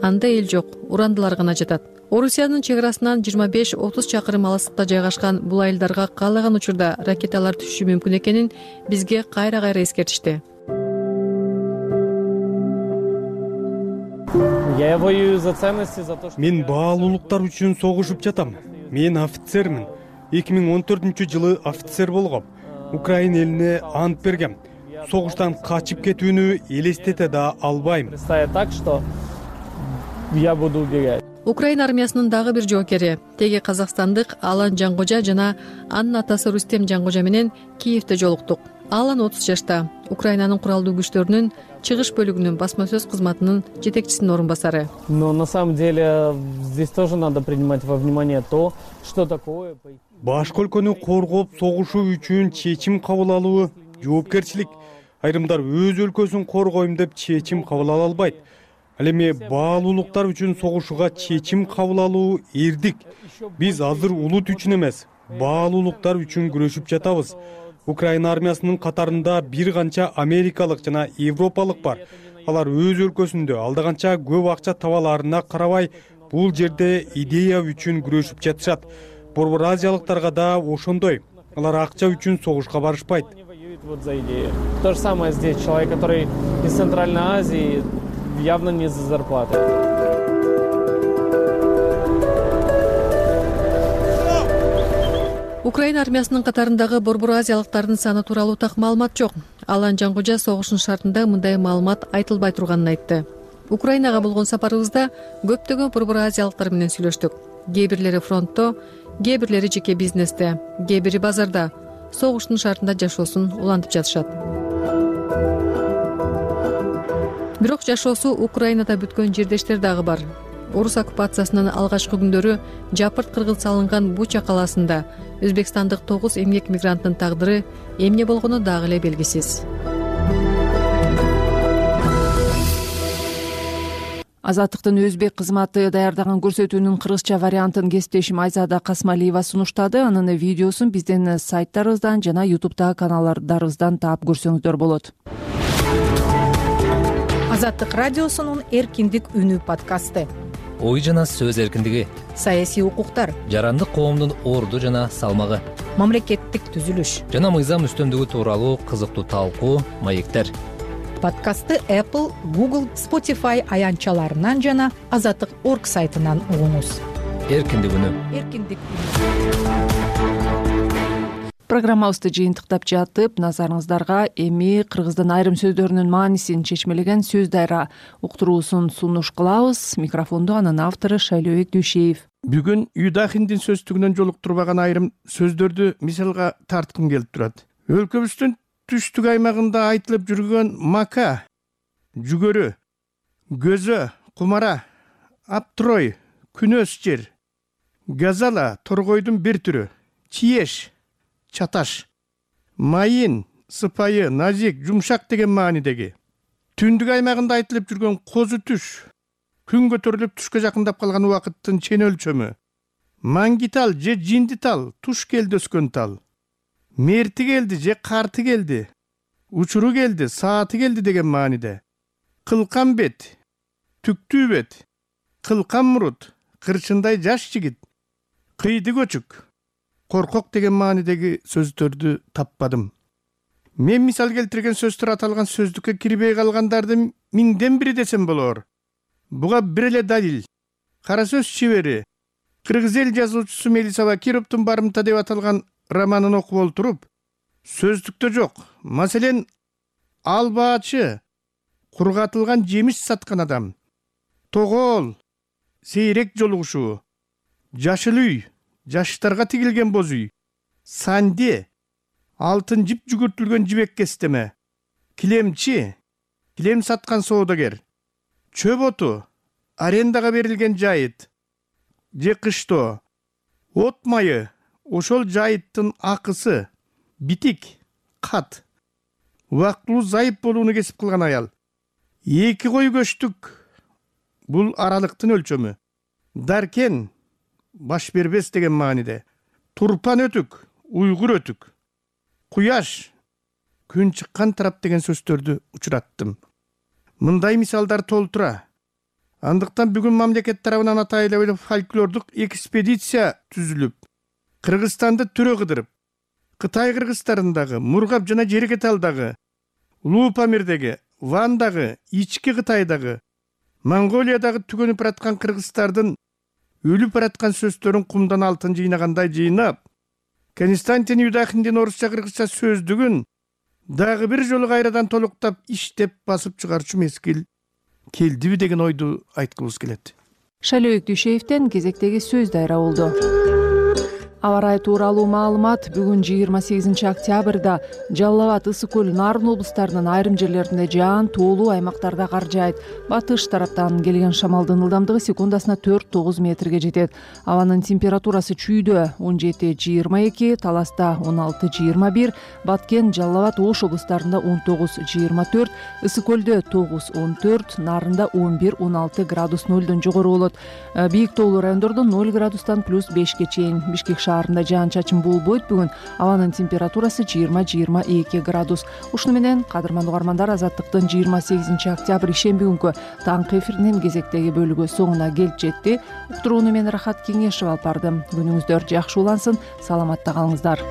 Анда эл жок, урандылар гана жатат. Орусиянын чек арасынан жыйырма беш отуз чакырым алыстыкта жайгашкан бул айылдарга каалаган учурда ракеталар түшүшү мүмкүн экенин бизге кайра-кайра эскертишти. Я воюю за ценности, за то, что... Мен баалуулуктар үчүн согушуп жатам. Мен офицермин. эки миң он төртүнчү жылы офицер болгом. Украина элине ант бергем. Согуштан качып кетүүнү элестете да албайм. Так что я буду убегать. Украина армиясынын дагы бир жоокери, теги казакстандык Алан Жангожа жана анын атасы Рустем Жангожа менен Киевде жолуктук. Алан отуз жашта, Украинанын куралдуу күчтөрүнүн чыгыш бөлүгүнүн басма сөз кызматынын жетекчисинин орун басары. Но на самом деле здесь тоже надо принимать во внимание то, что такое. Башка өлкөнү коргоп согушуу үчүн чечим кабыл алуу жоопкерчилик. Айрымдар өз өлкөсүн коргойм деп чечим кабыл ала албайт. Ал эми баалуулуктар үчүн согушууга чечим кабыл алуу эрдик. Биз азыр улут үчүн эмес, баалуулуктар үчүн күрөшүп жатабыз. Украина армиясынын катарында бир канча америкалык жана европалык бар. Алар өз өлкөсүндө алда канча көп акча табаларына карабай, бул жерде идея үчүн күрөшүп жатышат. Борбор азиялыктарга да ошондой. Алар акча үчүн согушка барышпайт. вот за идею. То же самое здесь. Человек, который из Центральной Азии, явно не за зарплатой. Украина армиясынын катарындагы борбор азиялыктардын саны тууралуу так маалымат жок. Алан Жангожа согуштун шартында мындай маалымат айтылбай турганын айтты. Украинага болгон сапарыбызда көптөгөн борбор азиялыктар менен сүйлөштүк. Кээ бирлери фронтто, кээ бирлери жеке бизнесте, кээ бири базарда согуштун шартында жашоосун улантып жатышат. Бирок жашоосу Украинада бүткөн жердештер дагы бар. Орус оккупациясынын алгачкы күндөрү жапырт кыргыз салынган Буча калаасында өзбекстандык тогуз эмгек мигранттын тагдыры эмне болгону дагы эле белгисиз. Азаттыктын өзбек кызматы даярдаган көрсөтүүнүн кыргызча вариантын кесиптешим Айзада Касмалиева сунуштады. Анын видеосун биздин сайттарыбыздан жана ютубтагы каналдарыбыздан таап көрсөңүздөр болот. Азаттык радиосунун эркиндик үнү подкасты. Ой жана сөз эркиндиги, саясий укуктар, жарандык коомдун орду жана салмагы, мамлекеттик түзүлүш жана мыйзам үстөмдүгү тууралуу кызыктуу талкуу, маектер. Подкастты Apple, Google, Spotify аянтчаларынан жана азаттык точка орг сайтынан угуңуз. Эркиндик үнү. Эркиндик үнү. Программабызды жыйынтыктап жатып, назарыңыздарга эми кыргыздын айрым сөздөрүнүн маанисин чечмелеген сөз дайра уктуруусун сунуш кылабыз. Микрофонду анын автору Шайлообек Дүйшеев. Бүгүн Юдахиндин сөздүгүнөн жолуктурбаган айрым сөздөрдү мисалга тарткым келип турат. Өлкөбүздүн түштүк аймагында айтылып жүргөн мака, жүгөрү, көзө, кумара, аптрой, күнөс жер, газала торгойдун бир түрү, чиеш, чаташ, майын, сыпайы, назик, жумшак деген маанидеги. Түндүк аймагында айтылып жүргөн козу түш, күн көтөрүлүп түшкө жакындап калган убакыттын чен өлчөмү. Маңгитал же жиндитал, туш келди өскөн тал. Мерти келди же карты келди, учуру келди, сааты келди деген мааниде. Кылкан бет, түктүү бет, кылкан мурут, кырчындай жаш жигит, кыйды көчүк, коркок деген маанидеги сөздөрдү таппадым. Мен мисал келтирген сөздөр аталган сөздүккө кирбей калгандарды миңден бири десем болор. Буга бир эле далил. Кара сөз чебери, кыргыз эл жазуучусу Мелисова Кировдун барымта деп аталган романын окуп олтуруп, сөздүктө жок. Маселен, албаачы, кургатылган жемиш саткан адам, тогол, сейрек жолугушуу, жашыл үй, жаштарга тигилген боз үй, санде, алтын жип жүгүртүлгөн жибек кестеме, килемчи, килем саткан соодагер, чөп оту, арендага берилген жайыт, же кыштоо, от майы, ошол жайыттын акысы, битик, кат, убактылуу зайып болууну кесип кылган аял. Эки кой көчтүк, бул аралыктын өлчөмү. Даркен, баш бербес деген мааниде. Турпан өтүк, уйгур өтүк. Куяш, күн чыккан тарап деген сөздөрдү учураттым. Мындай мисалдар толтура. Андыктан бүгүн мамлекет тарабынан атайлуу фольклордук экспедиция түзүлүп, Кыргызстанды түрө кыдырып, Кытай кыргыздарындагы, Мургап жана Жерекеталдагы, Улуу Памирдеги, Вандагы, Ички Кытайдагы, Монголиядагы түгөнүп бараткан кыргыздардын өлүп бараткан сөздөрүн кумдан алтын жыйнагандай жыйнап, Константин Юдахиндин орусча кыргызча сөздүгүн дагы бир жолу кайрадан толуктап иштеп басып чыгарчу мезгил келдиби деген ойду айткыбыз келет. Шайлообек Дүйшеевден кезектеги сөз дайра болду. Аба ырайы тууралуу маалымат бүгүн жыйырма сегизинчи октябрда Жалал Абад, Ысык көл, Нарын облустарынын айрым жерлеринде жаан, тоолуу аймактарда кар жаайт. Батыш тараптан келген шамалдын ылдамдыгы секундасына төрт тогуз метрге жетет. Абанын температурасы чүйдө он жети жыйырма эки, Таласта он алты жыйырма бир, Баткен, Жалал Абад, Ош облустарында он тогуз жыйырма төрт, Ысык көлдө тогуз он төрт, Нарында он бир он алты градус нөлдөн жогору болот. Бийик тоолуу райондордо ноль градустан плюс бешке чейин. Бишкек шаарында жаан чачын болбойт. Бүгүн абанын температурасы жыйырма жыйырма эки градус. Ушуну менен кадырман угармандар, Азаттыктын жыйырма сегизинчи октябрь ишемби күнкү таңкы эфиринин кезектеги бөлүгү соңуна келип жетти. Уктурууну мен Рахат Кеңешева алып бардым. Күнүңүздөр жакшы улансын, саламатта калыңыздар.